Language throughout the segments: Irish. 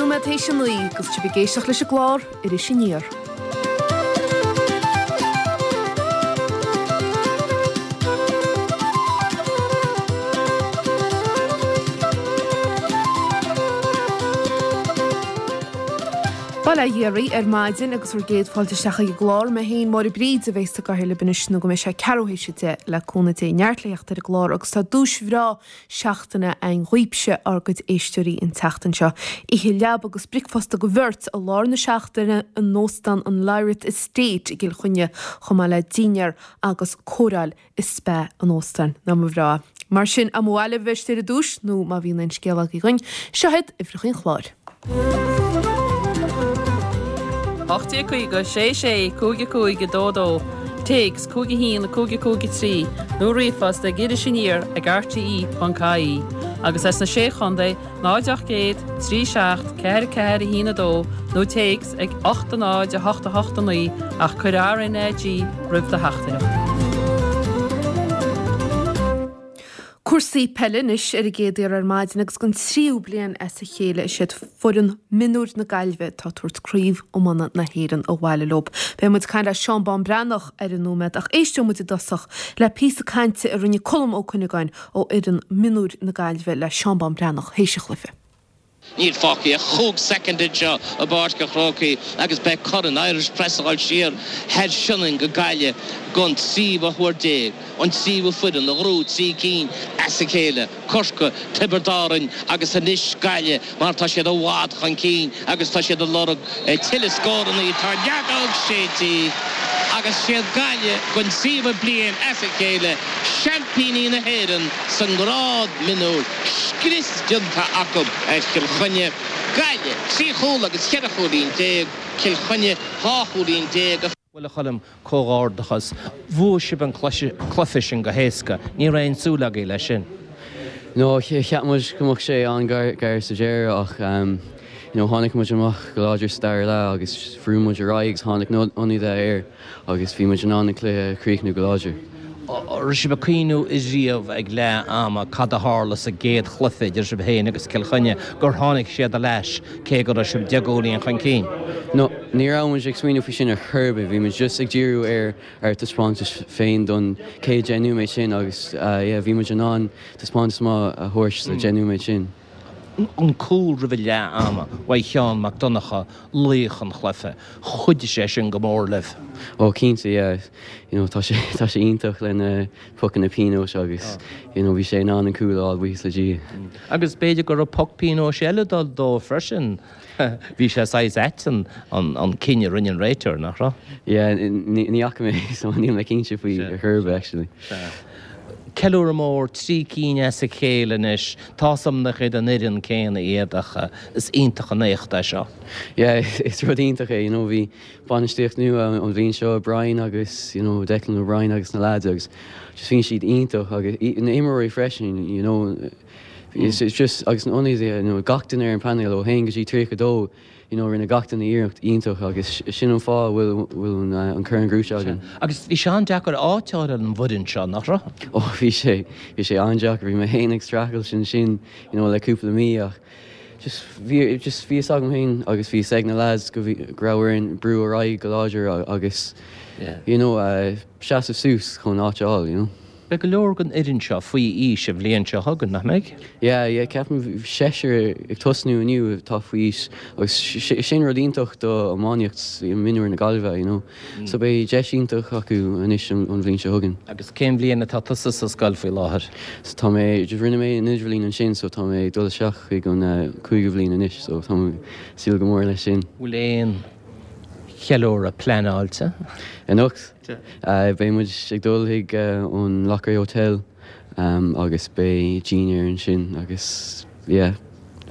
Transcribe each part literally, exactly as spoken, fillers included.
nóiméad théis a naoi agus sibh ag éisteacht leis an gclár Iris Aniar. Bail ó Dhia oraibh ar maidin agus bhur gcéad fáilte isteach ag an gclár. Mé féin, Máire Bríd, a bheas sa gcathaoir libh anois nó go mbeidh sé ceathrú théis a deich le cúnamh Dé. Neart le theacht ar an gclár agus tá duais bhreá seachtaine againn dhaoibhse, ár gcuid éisteoirí, an tseachtain seo. Oíche leaba agus bricfeasta do bheirt i lár na seachtaine in Óstán an Lyrath Estate i gCill Chainnigh, chomh maith le dinnéar agus cóireáil i spa an óstáin. Nach mba bhreá é? Mar sin, má ba mhaith libh bheith istigh ar an duais nó má bhíonn aon scéal agaibh dhuinn, seo iad uimhreacha an chláir. ocht déag caoga, sé sé, cúig a cúig, a dó a dó, téacs, cúig a haon, a cúig a cúig a trí, nó ríomhphost ag Iris Aniar ag rte ponc ie, agus as na Sé Chontae, náid ocht gcéad, trí seacht, ceathair a ceathair a haon a dó, nó téacs ag ocht a náid a hocht a hocht a naoi ach cuir RnaG roimh do theachtaireacht. Cúrsaí peile anois ar an gcéad iarraidh ar maidin agus don tríú bliain as a chéile is iad foireann mionúir na Gaillimhe atá ag tabhairt Craobh Iomána na hÉireann abhaile leo. Beidh muid ag caint le Seán Bán Breathnach ar an nóiméad ach éisteoidh muid i dtosach le píosa cainte a rinne Colm Ó Cuinneagáin ó fhoireann mionúir na Gaillimhe le Seán Bán Breathnach théis an chluiche. Níl fágtha ach chúig soicind anseo i bPáirc an Chrócaigh agus beidh Corn Irish Press ag dul siar thar Sionainn go Gaillimh don tríomhadh huair déag, an tríomhadh foireann a ghnóthaigh trí cinn as a chéile, Corcaigh, Tiobraid Árann agus anois Gaillimh mar tá siad i bhfad chun cinn agus tá siad ag lorg tuilleadh scóranna. Tá an fheadóg séidte agus siad Gaillimh don tríomhadh bliain as a chéile seaimpíní na hÉireann sa ngrád mionúir. Scrios déanta acu ar Chill Chainnigh. Gaillimh, trí chúl agus cheithre chúilín déag, Cill Chainnigh, dhá chúilín déag. Bhuel, a Choilm, comhghairdeachas. Bhuaigh sibh an cluiche sin go héasca. Ní raibh aon súil agaibh leis sin. No, cheap muid go mbeadh sé an-ghar sa deireadh ach you know tháinig muid amach go láidir sa dara leath agus bhrúigh muid ar aghaidh agus tháinig na hionadaithe air agus bhí muid in ann an cluiche a chríochnú go láidir. An raibh sibh ag cuimhniú riamh ag leath ama cad a tharla sa gcéad chluiche idir sibh féin agus Cill Chainnigh, gur tháinig siad ar ais cé go raibh sibh deich gcúilín chun cinn? No, ní raibh muid ag smaoineamh faoi sin ar chor ar bith, bhí muid just ag díriú ar ár dtaispeántas féin don chéad deich nóiméad sin agus yeah bhí muid in ann taispeántas maith a thabhairt sa deich nóiméad sin. An cúl roimh leath ama uaidh Sheán Mac Donncha, laoch an chluiche. Chuidigh sé sin go mór libh. Ó cinnte yeah you know tá sé tá sé iontach le na pocanna pionóis agus you know bhí sé in ann an cúl a fháil buíochas le Dia. Agus b'fhéidir go raibh poc pionóis eile ag dul dó freisin. Bhí sé saghas ait an an cinneadh a rinne an réiteoir, nach raibh? Yeah ní ní fhaca mé so níl mé cinnte faoi ar chor ar bith actually. Sea. Ceiliúradh mór, trí cinn as a chéile anois. Tá's a'm nach iad an fhoireann céanna iad ach is iontach an éacht é seo. Yeah, is rud iontach é, you know, bhí bainistíocht nua an bhliain seo, Brian agus, you know, Declan O'Brien agus na lads agus just bhíonn siad iontach agus na imreoirí freisin, you know, it's just agus na ionadaithe, you know, gach duine ar an painéal ó haon go dtí tríocha dó, you know, rinne gach duine iarracht iontach agus sin an fáth a bhfuil bhfuil an corn gnóite againn. Agus bhí sé an-deacair áit a fháil ar an bhfoireann seo, nach raibh? Ó bhí sé, bhí sé an-deacair, bhí mé féin ag streachailt ansin, you know, le cúpla mí ach just bhí, just bhí fhios agam féin agus bhí fhios ag na lads go bhí, go raibh orainn brú ar aghaidh go láidir agus, you know, seasamh suas chun áit a fháil, you know. Beidh go leor den fhoireann seo faoi aois an bhliain seo chugainn, nach mbeidh? Yeah, yeah, ceapaim seisear ag tosnú inniu atá faoi aois agus sin rud iontach do iománaíocht mionúir na Gaillimhe, you know. So beidh deis iontach acu anois an bhliain seo chugainn. Agus cén bhliain atá tusa sa scoil faoi láthair? So tá mé, rinne mé an idirbhliain ansin so tá mé ag dul isteach chuig an cúigiú bhliain anois so tá mé ag súil go mór leis sin. Bhfuil aon cheiliúradh pleanáilte? Anocht? Beidh muid ag dul chuig an Loughrea Hotel agus beidh dinnéar ansin agus yeah.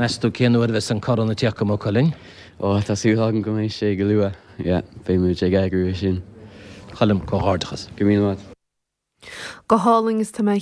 Meas tú cén uair a bheas an corn ag tíocht go Maigh Cuilinn? Ó tá súil agam go mbeidh sé go luath, yeah, beidh muid ag eagrú é sin. Choilm, comhghairdeachas. Go raibh míle maith. Go hálainn is tá mé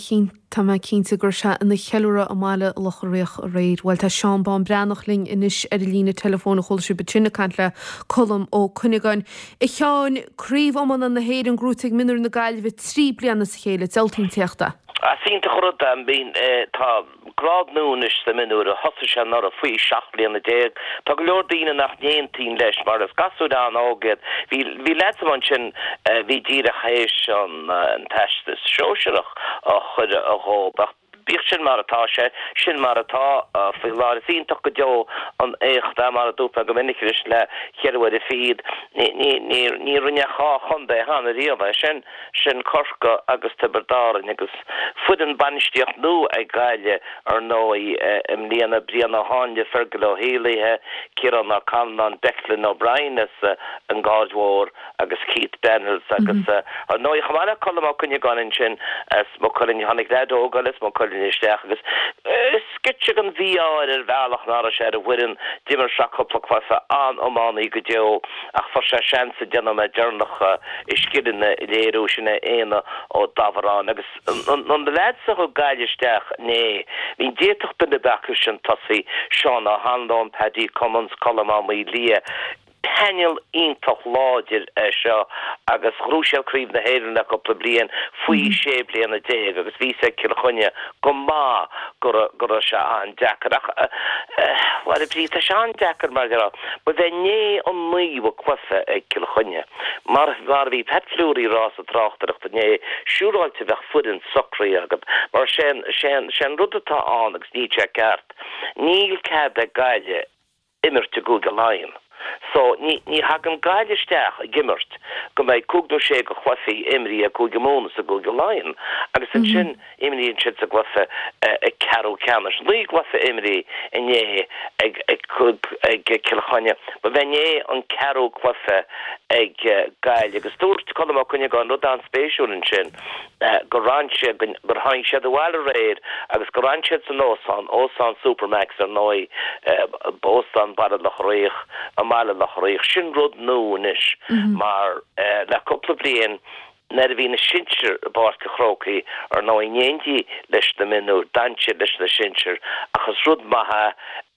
tá mé cinnte go raibh sé ina cheiliúradh i mBaile Locha Riach aréir. Bhuel tá Seán Bán Breathnach linn anois ar an líne teileafóin a chuala sibh ansin ag caint le Colm Ó Cuinneagáin. A Sheáin, Craobh Iomána na hÉireann gnóite ag Mionúir na Gaillimhe trí bliana as a chéile, diabhalta an t-éacht é. Is iontach an rud é. Tá Grád nua anois sa mionúr a thosaigh sé anuraidh faoi seacht mbliana déag. Tá go leor daoine nach n-aontaíonn leis mar is gasúir an-óg iad. Bhí bhí leaids amuigh ansin a bhí díreach théis an an teastas sóisearach a chur dhóibh ach bíodh sin mar atá sé, sin mar atá faoi láthair. Is iontach go deo an éacht é mar a dúirt mé go minic anois le ceithre uaire fichead. Ní ní ní ní rinne ach dhá chontae cheana riamh é sin, sin Corcaigh agus Tiobraid Árann agus foireann bainistíocht nua ag Gaillimh ar ndóigh i mbliana, Brian Ó Háinle, Fergal Ó hÉalaithe, Ciarán Ó Canainn, Declan O'Brien as an gCaird Mhór agus Keith Daniels agus ar ndóigh chomh maith le Colm Ó Cuinneagáin ansin as Maigh Cuilinn, tháinig leaid óg eile as Maigh Cuilinn isteach agus sceitse den mhí-ádh air ar bhealach nach raibh sé ar an bhfoireann, d'imir sé cúpla cluiche, an-iománaí go deo ach fuair sé seans an nóiméad deireanach a scileanna a léiriú, sin é Éanna Ó Dábharáin agus na leaids a thug Gaillimh isteach inné, bhí d'fhéadfadh duine ar bith acu sin tosaí, Seán Ó hAnluain, Paddy Cummins, Colm Ó Maoildhia, painéal iontach láidir é seo agus ghnóthaigh siad Craobh na hÉireann le cúpla bliain faoi sé bliana déag agus bhí a fhios ag Cill Chainnigh go maith go go raibh sé an-deacair ach bhuel a Bhríd tá sé an-deacair mar go raibh ba bheith inné an naoú cluiche ag Cill Chainnigh mar mar a bhí Pat Fleury ag rá sa tráchtaireacht inné siúráilte bheadh foireann socraithe agat mar sé sé sé an rud atá ann agus níl sé ceart níl cead ag Gaillimh imirt i gCúige Laighean. So, ní ní thagann Gaillimh isteach ag imirt go mbeidh cúig nó sé de chluichí imrithe ag Cúige Mumhan is ag Cúige Laighean agus ansin imríonn siad sa gcluiche ceathrú ceannais. Naoi gcluiche imrithe inné ag ag ag Cill Chainnigh. Ba bheith inné an ceathrú cluiche ag Gaillimh agus dúirt Colm Ó Cuinneagáin rud an-spéisiúil ansin gur fhan siad gur tháinig siad abhaile aréir agus gur fhan siad san óstán, Óstán Supermacs ar ndóigh, Óstán Baile Locha Riach, i mBaile Locha Riach. Sin rud nua anois mar le cúpla bliain nuair a bhí na sinsir i bPáirc an Chrócaigh ar ndóigh in éindí leis na mionúir, d'fhan siad leis na sinsir ach is rud maith é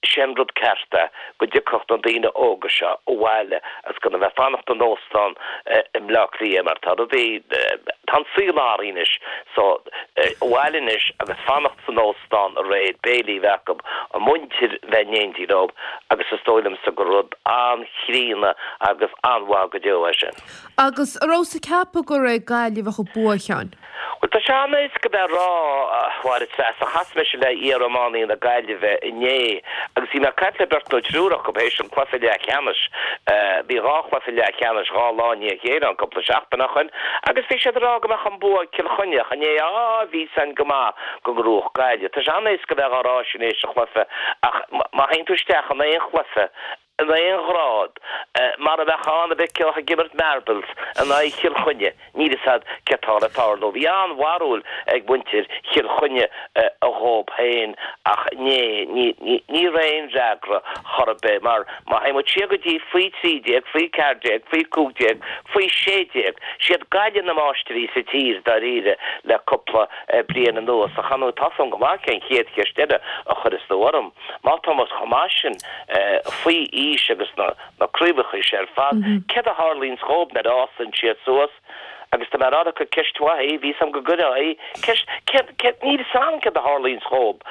Sé an rud ceart é go dtiocfadh na daoine óga seo abhaile agus gan a bheith fanacht in óstán i mBleá Cliath mar tá rudaí, tá an saol athraithe anois so abhaile anois agus fanacht san óstán aréir, béilí a bheith acu, a muintir bheith in éindí leo agus is dóigh liomsa gur rud an-chríonna agus an-mhaith go deo é sin. Agus an rabhais ag ceapadh gur ag Gaillimh a bheadh an bua, a Sheáin? Bhuel, tá sé an-éasca bheith ag rá, a Mháire Treasa. Chas mise le iar-iománaí na Gaillimhe inné agus bhí mé ag caint le beirt nó triúr acu théis an cluiche leathcheannais. Bhí dhá chluiche leathcheannais dhá lá i ndiaidh a chéile ann cúpla seachtain ó shoin agus bhí siad ag rá go mbeadh an bua ag Cill Chainnigh ach inné, á, bhí a fhios againn go maith go ngnóthódh Gaillimh. Tá sé an-éasca bheith á rá sin théis an chluiche ach má théann tú isteach in aon chluiche, in aon ghrád, mar a bheadh ann a bheith ag imirt marbles in aghaidh Chill Chainnigh, níl fhios a'd céard tá le tarlú. Bhí an-bharúil ag muintir Chill Chainnigh dhóib féin ach inné, ní raibh aon fhreagra chor ar bith mar má théann muid siar go dtí faoi trí déag, faoi ceathair déag, faoi cúig déag, faoi sé déag, siad Gaillimh na máistrí sa tír dáiríre le cúpla bliain anuas ach ar ndóigh tá fhios a'm go maith cén chéad cheist eile a chuirfeas tú orm. Má tá muid chomh maith sin faoi aois agus na craobhacha seo ar fad, céard a tharlaíonns dhóib nuair a fhásann siad suas? Agus tá mé ag rá gur ceist mhaith í, bhí fhios a'm go gcuirfeá í. Ceist, céard, céard, níl fhios a'm céard a tharlaíonns dhóib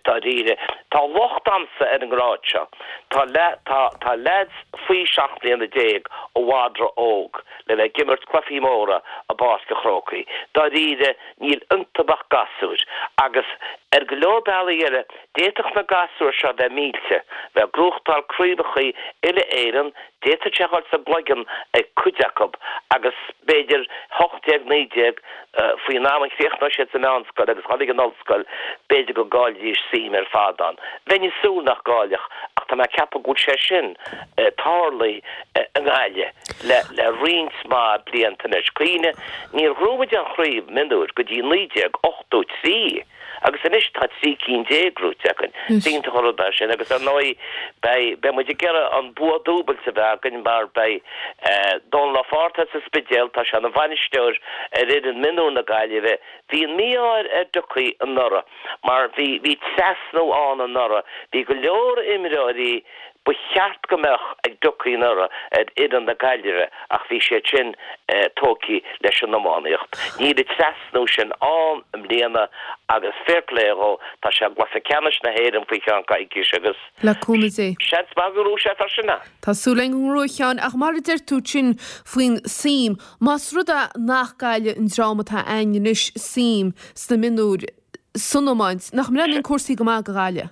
dáiríre. Tá locht a'msa ar an ngrád seo. Tá, tá, tá leaids faoi seacht mbliana déag i bhfad ró-óg le bheith ag imirt cluichí móra i bPáirc an Chrócaigh. Dáiríre, níl iontu ach gasúir agus ar go leor bealaí eile d'fhéadfadh na gasúir seo bheith millte, bheith ag gnóthachtáil craobhachaí uile-Éireann, d'fhéadfadh sé a dhul sa gcloigeann ag cuid acu agus b'fhéidir hocht déag, naoi déag, faoin am a chríochnóidh siad sa meánscoil agus dhul ag an ollscoil, b'fhéidir go gcaillfidís suim ar fad ann. Bheinn ag súil nach gcaillfeadh ach tá mé ag ceapadh go bhfuil sé sin tarlaithe i nGaillimh le le roinnt mhaith blianta anois. Cuimhnigh, níor ghnóthaigh muid aon chraobh mionúir go dtí naoi déag ochtó trí agus anois tá trí cinn déag gnóite againn. Is iontach an rud é sin agus ar ndóigh beidh beidh muid ag iarraidh an bua dúbailte a bheith againn mar beidh Dónal Ó Fátharta as an Spidéal, tá sé ina bhainisteoir ar fhoireann mionúir na Gaillimhe. Bhí an mí-ádh ar Ducaí anuraidh mar bhí bhí trasnú ann anuraidh. Bhí go leor imreoirí ba cheart go mbeadh ag Dúiche anuraidh ar fhoireann na Gaillimhe ach bhí siad sin tógtha leis an iománaíocht. Níl an trasnú sin ann i mbliana agus fair play dhó, tá sé i gcluiche ceannais na hÉireann faoi cheann coicíse agus Le cúnamh Dé. seans maith go ngnóthóidh sé freisin é. Tá súil againn go ngnóthóidh a Sheáin ach mar a deir tú sin faoin suim, más rud é nach gcailleann an dream atá againn anois suim sna mionúir san iomáint, nach mbreathnaíonn cúrsaí go maith do Ghaillimh?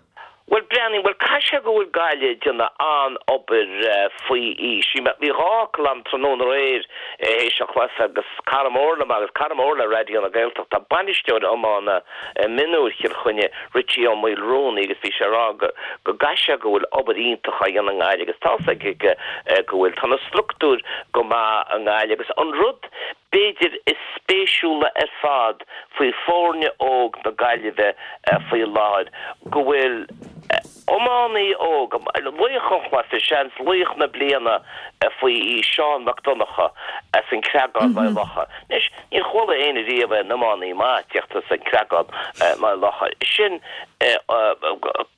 Bhuel, breathnaíonn, bhuel, caithfidh sé go bhfuil Gaillimh ag déanamh an-obair faoi aois. Bhí dhá fhocal agam tráthnóna aréir théis an chluiche agus cara mór liom agus cara mór le Raidió na Gaeltachta, bainisteoir iomána mionúir Chill Chainnigh, Richie Ó Maolrúnaí agus bhí sé ag rá go go gcaithfidh sé go bhfuil obair iontach á dhéanamh i nGaillimh agus tá's aige go bhfuil. Tá na struchtúir go maith i nGaillimh agus an rud b'fhéidir is spéisiúla ar fad faoi foirne óg na Gaillimhe faoi láthair go bhfuil iománaí óg, laoch an chluiche, seans laoch na bliana faoi aois, Seán Mac Donncha as an Chreagán, Maigh Locha. Anois, níor chuala éinne riamh aon iománaí maith tíocht as an Chreagán, Maigh Locha. Sin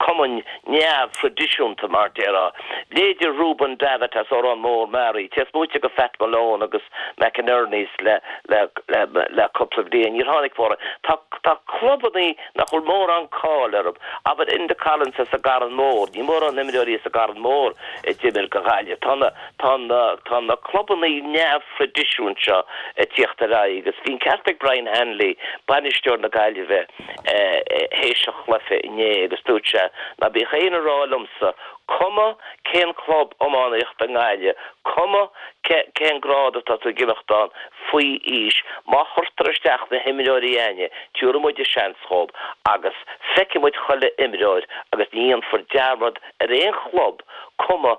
cumann neamhthraidisiúnta, mar déarfá. Leithéide Reuben Davitt as Órán Mór Meáraí, téas luaite go Phat Malone agus McInerney's le le le le cúpla bliain. Níor tháinig mórán. Tá tá clubannaí nach bhfuil mórán cáil orthu. Abair Enda Collins as an gCarn Mór. Níl mórán imreoirí as an gCarn Mór a d'imir go Gaillimh. Tá na tá na tá na clubannaí neamhthraidisiúnta seo ag tíocht ar aghaidh agus bhí an ceart ag Brian Hanley, bainisteoir na Gaillimhe, théis an chluiche inné agus dúirt sé ná bíodh éinne ag rá liomsa cuma cén club iománaíochta i nGaillimh, cuma cén grád atá tú ag imeacht ann faoi aois, má chuirtear isteach na himreoirí againne, tiúrfaidh muid seans dhóibh agus feicfidh muid chuile imreoir agus ní dhéanfar dearmad ar aon chlub cuma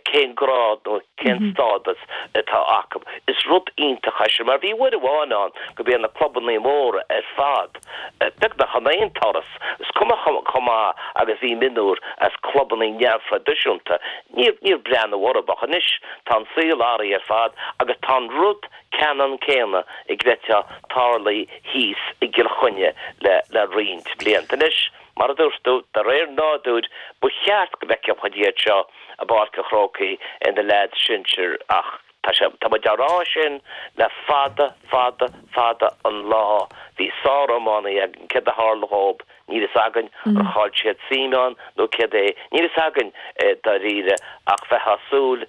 cén grád nó cén stádas atá acu. Is rud iontach é sin mar bhí uair amháin ann go mbíodh na clubannaí móra ar fad beagnach in aon turas, is cuma chomh maith agus bhí mionúr as clubannaí neamhthraidisiúnta, níor níor breathnú orthu ach anois tá an saol athraithe ar fad agus tá an rud ceannann céanna ag greiteá tarlaithe thíos i gCill Chainnigh le le roinnt blianta anois. Mar a dúirt tú, de réir nádúir, ba cheart go bhfeicfeadh muid iad seo i bPáirc an Chrócaigh ina leaids sinsir ach tá sé, tá muid á rá sin le fada, fada, fada an lá. Bhí sár-iománaí againn, céard a tharla dhób, níl fhios againn, ar chaill siad suim ann nó céard é, níl fhios againn dáiríre ach bheifeá ag súil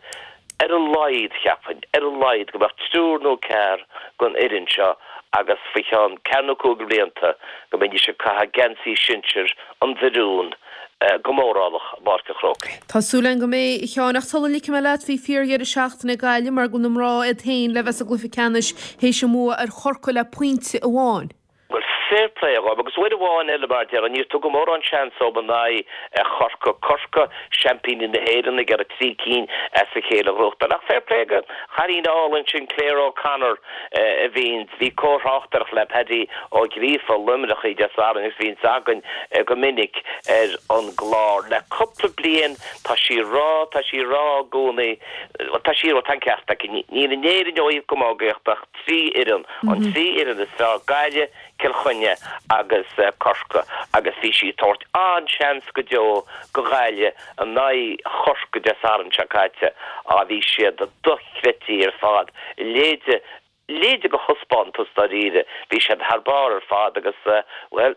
ar a laghad, cheapfainn, ar a laghad go mbeadh triúr nó ceathrar den fhoireann seo agus faoi cheann ceathair nó cúig blianta go mbeidís ag caitheamh geansaí sinsir an mhilliúin go mórálach i bPáirc an Chrócaigh. Tá súil againn go mbeidh, a Sheáin, ach sula ligfidh mé leat, bhí fíordheireadh seachtaine ag Gaillimh mar go bhfuil na mná iad féin le bheith sa gcluiche ceannais théis a mbua ar Chorcaigh le pointe amháin. Bhuel, fair play dhóibh. Agus uair amháin eile, mar a déarfá, níor tugadh mórán seans dóibh in aghaidh Chorcaí. Corcaigh, seaimpíní na hÉireann, ag iarraidh trí cinn as a chéile a ghnóthachtáil. Ach fair play don chailín álainn sin, Claire O'Connor, a bhíonn, bhí comhthráchtaireacht le Paddy Ó Gríofa, Luimneach Dé Sathairn agus bhíonns againn go minic ar an gclár. Le cúpla bliain tá sí ag rá, tá sí ag rá i gcónaí, bhuel tá sí ag rá, tá an ceart aici, níl in Éirinn ó thaobh camógaíochta ach trí fhoireann, an trí fhoireann is fearr, Gaillimh, Cill Chainnigh agus Corcaigh agus bhí sí ag tabhairt an-seans go deo go Ghaillimh in aghaidh Chorcaí Dé Sathairn seo caite. Á bhí siad dochreidte ar fad. Leithéide, leithéide de thaispeántas dáiríre. Bhí siad thar barr ar fad agus, bhuel,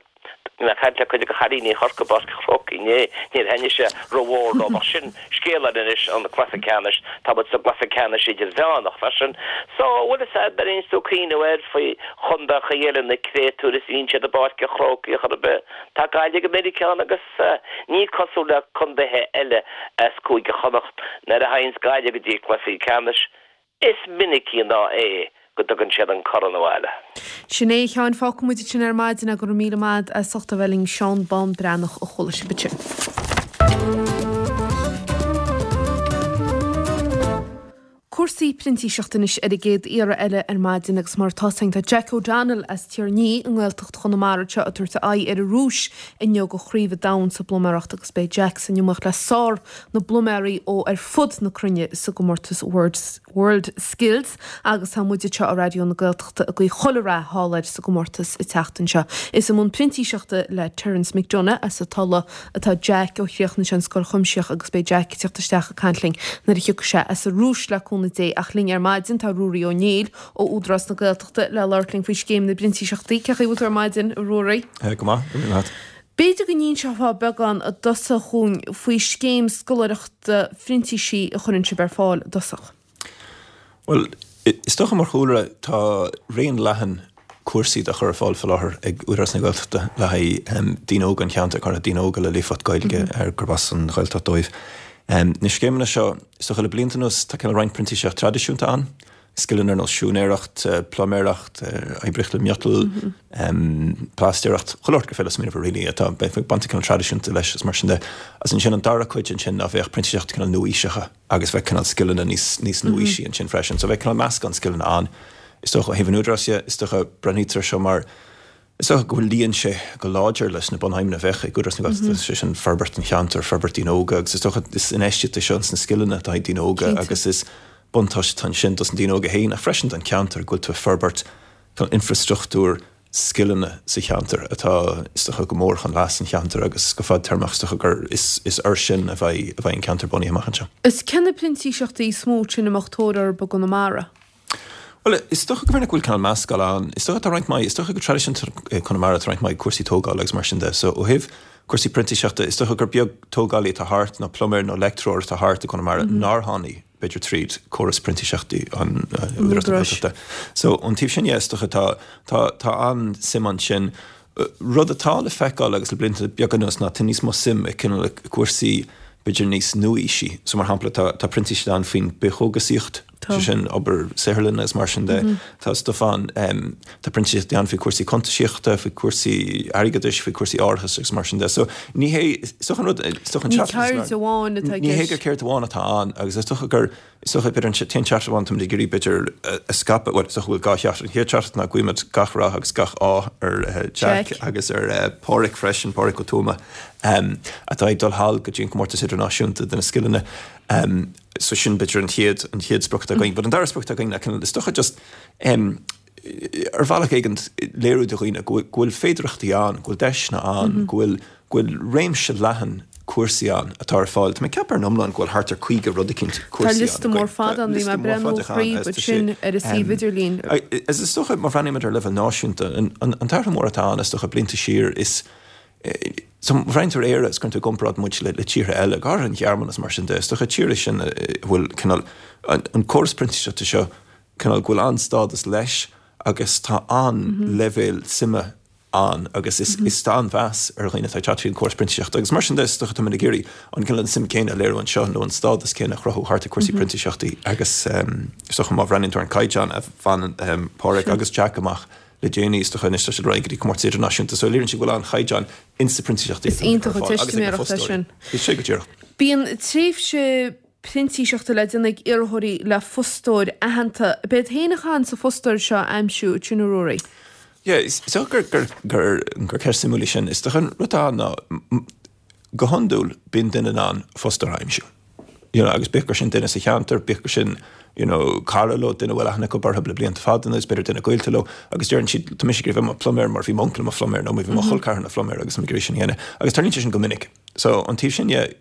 Bhí mé ag caint le cuid de chailíní Chorcaí i bPáirc an Chrócaigh inné, níor thaitnigh sé rómhór leo ach sin scéal eile anois, an cluiche ceannais, tá muid sa gcluiche ceannais idirmheánach freisin. So, bhfuil fhios a'd, nuair a bhíonns tú ag cuimhneamh air faoi chontaetha eile na créatúir is bhíonn siad i bPáirc an Chrócaigh chor ar bith, tá Gaillimh go minic ann agus ní cosúil le contaetha eile as Cúige Chonnacht nuair a théanns Gaillimh go dtí cluichí ceannais, Is minicí ná é go dtugann siad an corn abhaile. Sin é, a Sheáin, fágfaidh muid ansin ar maidin é, go raibh míle maith a'd as ucht a bheith linn, Seán Bán Breathnach a chuala sibh ansin. Cúrsaí printíseachta anois ar an gcéad iarraidh eile ar maidin agus mar atá tá Jack O'Donnell as Tír an Fhia i nGaeltacht Chonamara seo ag tabhairt aghaidh ar an Rúis inniu do chraobh an domhain sa bpluiméireacht agus beidh Jack san iomaíocht le sár na bpluiméirí ó ar fud na cruinne sa gcomórtas World Skills agus tá muid anseo ar Raidió na Gaeltachta ag guí chuile rath thall air sa gcomórtas an tseachtain seo. Is i mbun printíseachta le Terence McDonough as an Tulaigh atá Jack ó chríochnaigh sé an scoil chuimsitheach agus beidh Jack ag teacht isteach ag caint linn nuair a thiocfaidh sé as an Rúis le cúnamh Dé ach linn ar maidin tá Ruairí Ó Néill ó Údarás na Gaeltachta le labhairt linn faoi scéim na bprintíseachtaí. Cén chaoi a bhfuil tú ar maidin, a Ruairí? Go maith, go maith. B'fhéidir go n-inseofá beagán i dtosach dhúinn faoi scéim scoláireachta phrintísigh a chuireann sibh ar fáil i dtosach. Bhuel, is dócha mar chúlra tá raon leathan cúrsaí á chur ar fáil faoi láthair ag Údarás na Gaeltachta le haghaidh daoine óga an cheantair, go háirithe daoine óga le líofacht Gaeilge ar gurb as an Ghaeltacht dóibh. Na scéimeanna seo, is dócha le blianta anuas tá cineál roinnt printíseacht traidisiúnta ann, scileanna ar nós siúinéireacht, pluiméireacht, oibríocht le miotal, pláistéireacht, chuile shórt gur féidir smaoineamh really atá bainte cineál traidisiúnta leis is mar sin de. Agus ansin an dara cuid ansin ná bheadh printíseacht cineál nua-aoiseacha agus bheadh cineál scileanna níos níos nua-aoisí ansin freisin. So bheadh cineál meascán scileanna ann. Is dócha ó thaobh an Údaráis dhe, is dócha breathnaítear seo mar Is dócha go bhfuil luíonn sé go láidir leis na bunaidhmeanna a bheadh ag Údarás na Gaeltachta, sé sin forbairt an cheantair, forbairt daoine óga agus is dócha is infheistíocht é seo ins na scileanna atá ag daoine óga agus is buntáiste atá ansin dos na daoine óga féin ach freisin don cheantar go bhfuil tú ag forbairt infreastruchtúr scileanna sa cheantar atá is dócha go mór chun leas an cheantair agus go fadtéarmach is dócha gur is is air sin a bheidh a bheidh an ceantar bunaithe amach anseo. Is cé na printíseachtaí is mó sin a mbeadh tóir orthu i gConamara? Bhuel, is dócha go bhféadfadh go bhfuil cineál meascán ann. Is dócha tá roinnt mhaith, is dócha go traidisiúnta i Conamara tá roinnt mhaith cúrsaí tógála agus mar sin de. So ó thaobh cúrsaí printíseachta, is dócha gur beag tógálaí atá thart nó pluiméir nó leictreoir atá thart i gConamara nár tháinig b'fhéidir tríd córas printíseachtaí an Údarás na Gaeltachta. So ón taobh sin dhe, is dócha tá tá tá an-suim ansin. Rud atá le feiceáil agus le blianta beaga anuas ná tá níos mó suim i cineál cúrsaí b'fhéidir níos nua-aoisí. So mar shampla tá tá printíseacht ann faoin bithchógasaíocht, sé sin obair saotharlainne agus mar sin de. Tá stuif ann, tá printíseachtaí ann faoi chúrsaí cuntasaíochta, faoi chúrsaí airgeadais, faoi chúrsaí árachais agus mar sin de. So ní hé, is dócha an rud, is dócha an Ní ceird amháin atá i Ní hé gur ceird amháin atá ann agus is dócha gur Is dócha, b'fhéidir, an t-aon teachtaireacht amháin táimid ag iarraidh, b'fhéidir, a scaipeadh, bhuel, is dócha go bhfuil dhá theachtaireacht. An chéad teachtaireacht ná guímid gach rath agus gach ádh ar Jack agus ar Páraic freisin, Páraic Ó Tuama, atá ag dul thall go dtí an comórtas idirnáisiúnta de na scileanna. So sin, b'fhéidir, an chéad, an chéad sprioc atá againn. But an dara sprioc atá againn ná cineál, is dócha just, ar bhealach éigin, léiriú do dhaoine go bhfuil féidearthachtaí ann, go bhfuil deiseanna ann, go bhfuil, go bhfuil réimse leathan cúrsaí ann atá ar fáil. Tá mé ag ceapadh ar an iomlán go bhfuil thart ar caoga rud eicínt cúrsaí ann. Tá liosta mór fada ann, bhí mé ag breathnú thríd ansin ar an suíomh idirlín. Is is dócha, má bhreathnaímid ar leibhéal náisiúnta, an t-athrú mór atá ann is dócha blianta siar is so má bhreathnaíonn tú ar Éire is cuireann tú i gcomparáid muid le tíortha eile, go háirithe an Ghearmáin is mar sin de, is dócha tíortha sin a bhfuil cineál an córas printíseachta seo cineál go bhfuil an-stádas leis agus tá an-leibhéal suime ann agus is is tá an-mheas ar dhaoine atá ag teacht tríd an córas printíseachta agus mar sin de is dócha táimid ag iarraidh an cineál an suim céanna a léiriú anseo nó an stádas céanna a chruthú thart ar cúrsaí printíseachtaí agus is dócha má bhreathnaíonn tú ar an caighdeán a bhain Páraic agus Jack amach le déanaí is dócha anois tá siad ar aghaidh go dtí comórtas idirnáisiúnta so léiríonn sé go bhfuil an-chaighdeán ins na printíseachtaí Is iontach an teistiméireacht é sin. Is é go díreach. Bíonn tréimhse printíseachta le déanamh ag iarrthóirí le fostóir aitheanta. Ab iad féin a chaitheann an fostóir seo a aimsiú, sin a Ruairí? Yeah, is dócha gur, gur, gur, gur ceist suimiúil í sin. Is dócha an rud atá ann ná, go hiondúil, bíonn duine in ann fostóir a aimsiú. You know, agus bíodh gur sin duine sa cheantar, bíodh gur sin, you know, cara leo, duine a bhfuil aithne acu orthu le blianta fada anuas, b'fhéidir duine gaolta leo, agus deireann siad, tá mise ag iarraidh bheith i mo phluiméir mar bhí m'uncail i mo phluiméir nó bhí mo chol ceathrar ina phluiméir agus tá mé ag iarraidh sin a dhéanamh. Agus tarlaíonn sé sin go minic. So, an taobh sin dhe,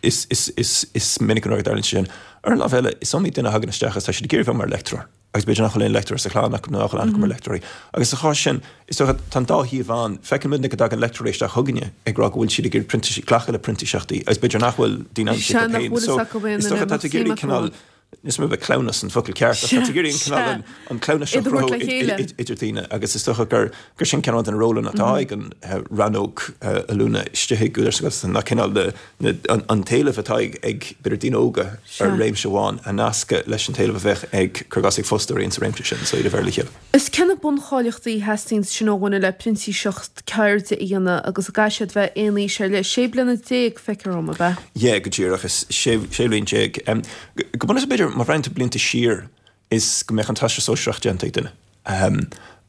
is, is, is, is minic an uair go dtarlaíonn sé sin. Ar an lámh eile, is iomaí duine a thagann isteach agus tá siad ag iarraidh bheith mar leictreoir. Agus b'fhéidir nach bhfuil aon leictreoir sa chlann acu nó nach bhfuil aithne acu ar leictreoirí. Agus sa chás sin, is dócha, tá an dá thaobh ann. Feiceann muidne go dtagann leictreoirí isteach chugainne ag rá go bhfuil siad ag iarraidh printíseacht, glacadh le printíseachtaí agus b'fhéidir nach bhfuil daoine aimsithe Sea, acu nach féin. bhfuil fhios So, acu aon is duine dócha a tá tú mbeadh ag iarraidh suim acu cineál, ann. níl 'fhios a'm an cleamhnas an focal ceart ach tá tú ag iarraidh an cineál, an, an cleamhnas seo Iad a a thabhairt chruthú le chéile. idir daoine agus is dócha gur, gur sin cineál de na rólanna atá ag an rannóg oiliúna istigh ag Údarás na Gaeltachta ná cineál na, an t-éileamh atá ag b'fhéidir daoine óga ar réimse amháin a nascadh leis an t-éileamh a bheadh ag, cuir i gcás, ag fostóirí insa réimse sin, so iad a bheith le chéile. Is cé na buncháilíochtaí a theastaíonn sin ó dhuine le printíseacht ceirde a dhéanamh agus an gcaithfidh siad bheith aon aois ar leith, sé bliana déag, feictear dom, ab ea? Yeah, go díreach, is sé, sé bhliain déag. Go bunúsach b'fhéidir má bhreathnaíonn tú blianta siar is go mbeadh an Teastas Sóisearach déanta ag duine.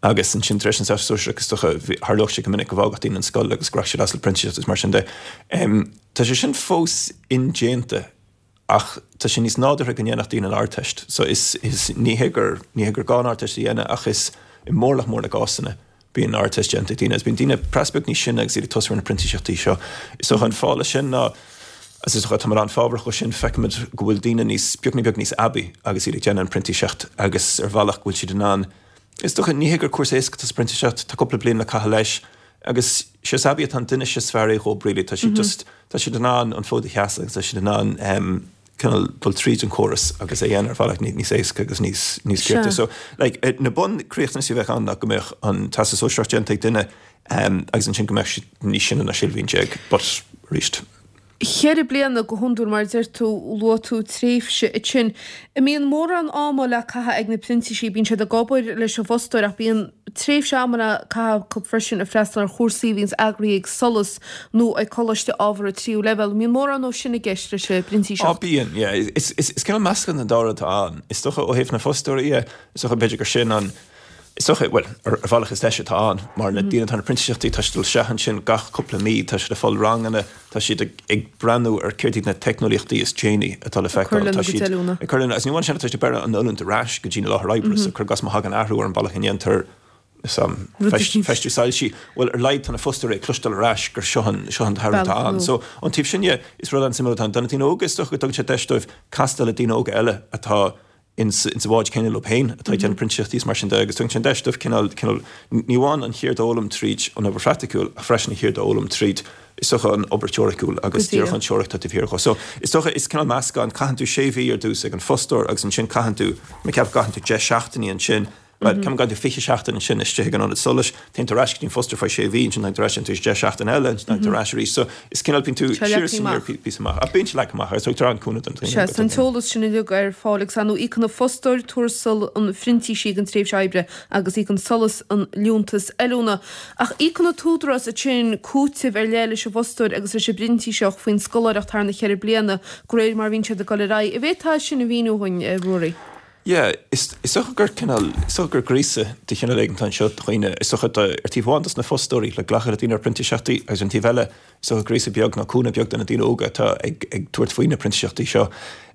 Agus ansin tar éis an Teastas Sóisearach is dócha tharlódh sé go minic go bhfágfadh daoine an scoil agus go rachadh siad as le printíseacht is mar sin de. Tá sé sin fós indéanta ach tá sé níos nádúrtha go ndéanfadh daoine an Ardteist. So is, is, ní hé gur, ní hé gur gá an Ardteist a dhéanamh ach is i mórlach mór na gcásanna bíonn an Ardteist déanta ag daoine agus bíonn daoine praghas beag níos sine agus iad ag tosú ar na printíseachtaí seo. Is dócha an fáth leis sin ná agus is dócha táimid an-fhábharach dhó sin, feicimid go bhfuil daoine níos, beagní beag níos aibí agus iad ag déanamh an printíseacht agus ar bhealach go bhfuil siad in ann, is dócha, ní hé gur cúrsa éasca atá sa phrintíseacht, tá cúpla bliain le caitheamh leis agus sé is aibí atá an duine sé is fearr é dhóibh really, tá siad just, tá siad in ann an fód a sheasamh agus tá siad in ann cineál dul tríd an córas agus é a dhéanamh ar bhealach níos éasca agus níos, níos cirte. So, like, na bunriachtanais a bheadh ann ná go mbeadh an Teastas Sóisearach déanta ag duine agus ansin go mbeadh siad níos sine ná sé bhliain déag, but arís. Ceithre bliana go hiondúil, mar a deir tú, luaigh tú tréimhse ansin. An mbíonn mórán ama le caitheamh ag na printísigh, bíonn siad ag obair leis an bhfostóir ach bíonn tréimhse ama le caitheamh acu freisin ag freastal ar chúrsaí a bhíonns eagraithe ag SOLAS nó ag coláiste ábhartha tríú leibhéal. An mbíonn mórán dó sin i gceist leis an bprintíseacht? Á bíonn, yeah. Is cineál meascán den dá rud atá ann. Is dócha ó thaobh na bhfostóirí dhe, is dócha b'fhéidir gur sin an, Is dócha, bhuel, ar bhealach is deis atá ann, mar na daoine atá ar na printíseachtaí, tá siad ag dul isteach ansin gach cúpla mí, tá siad ag fáil ranganna, tá siad ag breathnú ar céard iad na teicneolaíochtaí is déanaí atá le feiceáil, tá siad ag cur lena, agus ní amháin sin, tá siad ag beireadh an oiliúint ar ais go dtí na láthair oibre, so cuir i gcás má thagann athrú ar an bealach a ndéantar feistiú soilsí, bhuel, ar laghad tá na fostóirí ag cloisteáil ar ais gur seo an, seo an t-athrú atá ann. So, ón taobh sin dhe, is rud an-suimiúil atá ann. Do na daoine óga, is dócha go dtugann sé deis dóibh castáil le daoine óga eile atá ins sa bhád céanna leo féin atá ag déanamh printíseachtaí is mar sin de agus tugann sé an deis dóibh cineál, cineál, ní amháin an cheird a fhoghlaim tríd an obair phraiticiúil ach freisin an cheird a fhoghlaim tríd, is dócha, an obair teoiriciúil agus díreach an teoiric atá taobh thiar dhó. So, is dócha, is cineál meascán, caitheann tú sé mhí ar dtús ag an fostóir agus ansin caitheann tú, mé ag ceapadh go gcaitheann tú deich seachtainí ansin, Bhuel, ceapaim go gcaitheann tú fiche seachtain ansin istigh ag an ionad solais, téann tú ar ais go dtí an fostóir faoi sé mhí, ansin tagann tú ar ais, déanann tú deich seachtain eile, ansin tagann tú ar ais arís. So, is cineál, bíonn tú siar is aniar píosa amach. Ach bíonn sé leagtha amach agus tugtar an-chúnamh don Sea, tá an t-eolas sin uilig ar fáil agus ar ndóigh íocann an fostóir tuarastal an phrintísigh don tréimhse oibre agus íocann SOLAS an liúntas oiliúna. Ach íocann an tÚdarás ansin cúiteamh ar leith leis an bhfostóir agus leis an bprintíseach faoin scoláireacht thar na ceithre bliana, de réir mar a bhíonn siad ag dul ar aghaidh. An bhféadfá sin a mhíniú dhúinn, a Ruairí? Yeah, is dócha gur cineál, is dócha gur gríosadh de chineál éigin atá anseo do dhaoine, is dócha do, ar taobh amháin dos na fostóirí le glacadh le daoine ar printíseachtaí agus ar an taobh eile, is dócha gríosadh beag nó cúnamh beag do na daoine óga atá ag, ag tabhairt faoi na printíseachtaí seo.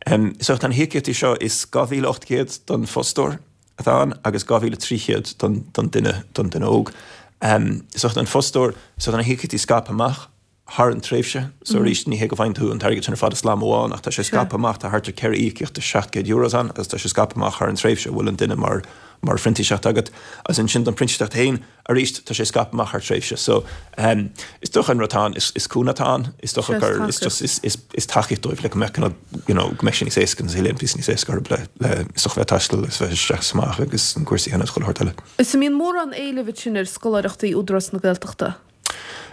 Is dócha tá na híocaíochtaí seo, is dhá mhíle ocht gcéad don fostóir atá ann agus dhá mhíle trí chéad don, don duine, don duine óg. Is dócha don fostóir, is dócha tá na híocaíochtaí scaipthe amach. thar an tréimhse. So arís, ní hé go bhfaigheann tú an t-airgead sin ar fad i slam amháin ach tá sé scaipthe amach, tá thart ar ceithre íocaíocht de seacht gcéad euros ann agus tá sé scaipthe amach thar an tréimhse a bhfuil an duine mar mar phrintíseacht agat. Agus ansin don phrintíseacht féin, arís, tá sé scaipthe amach thar tréimhse. So is dócha an rud atá ann, is is cúnamh atá ann, is dócha gur is just is is is tacaíocht dóibh le go mbeadh cineál you know go mbeadh sé níos éasca an saol píosa níos éasca orthu le le is dócha bheith ag taisteal agus bheith isteach is amach agus na cúrsaí a dhéanamh agus chuile shórt eile. Is an mbíonn mórán éilimh ansin ar scoláireachtaí Údarás na Gaeltachta?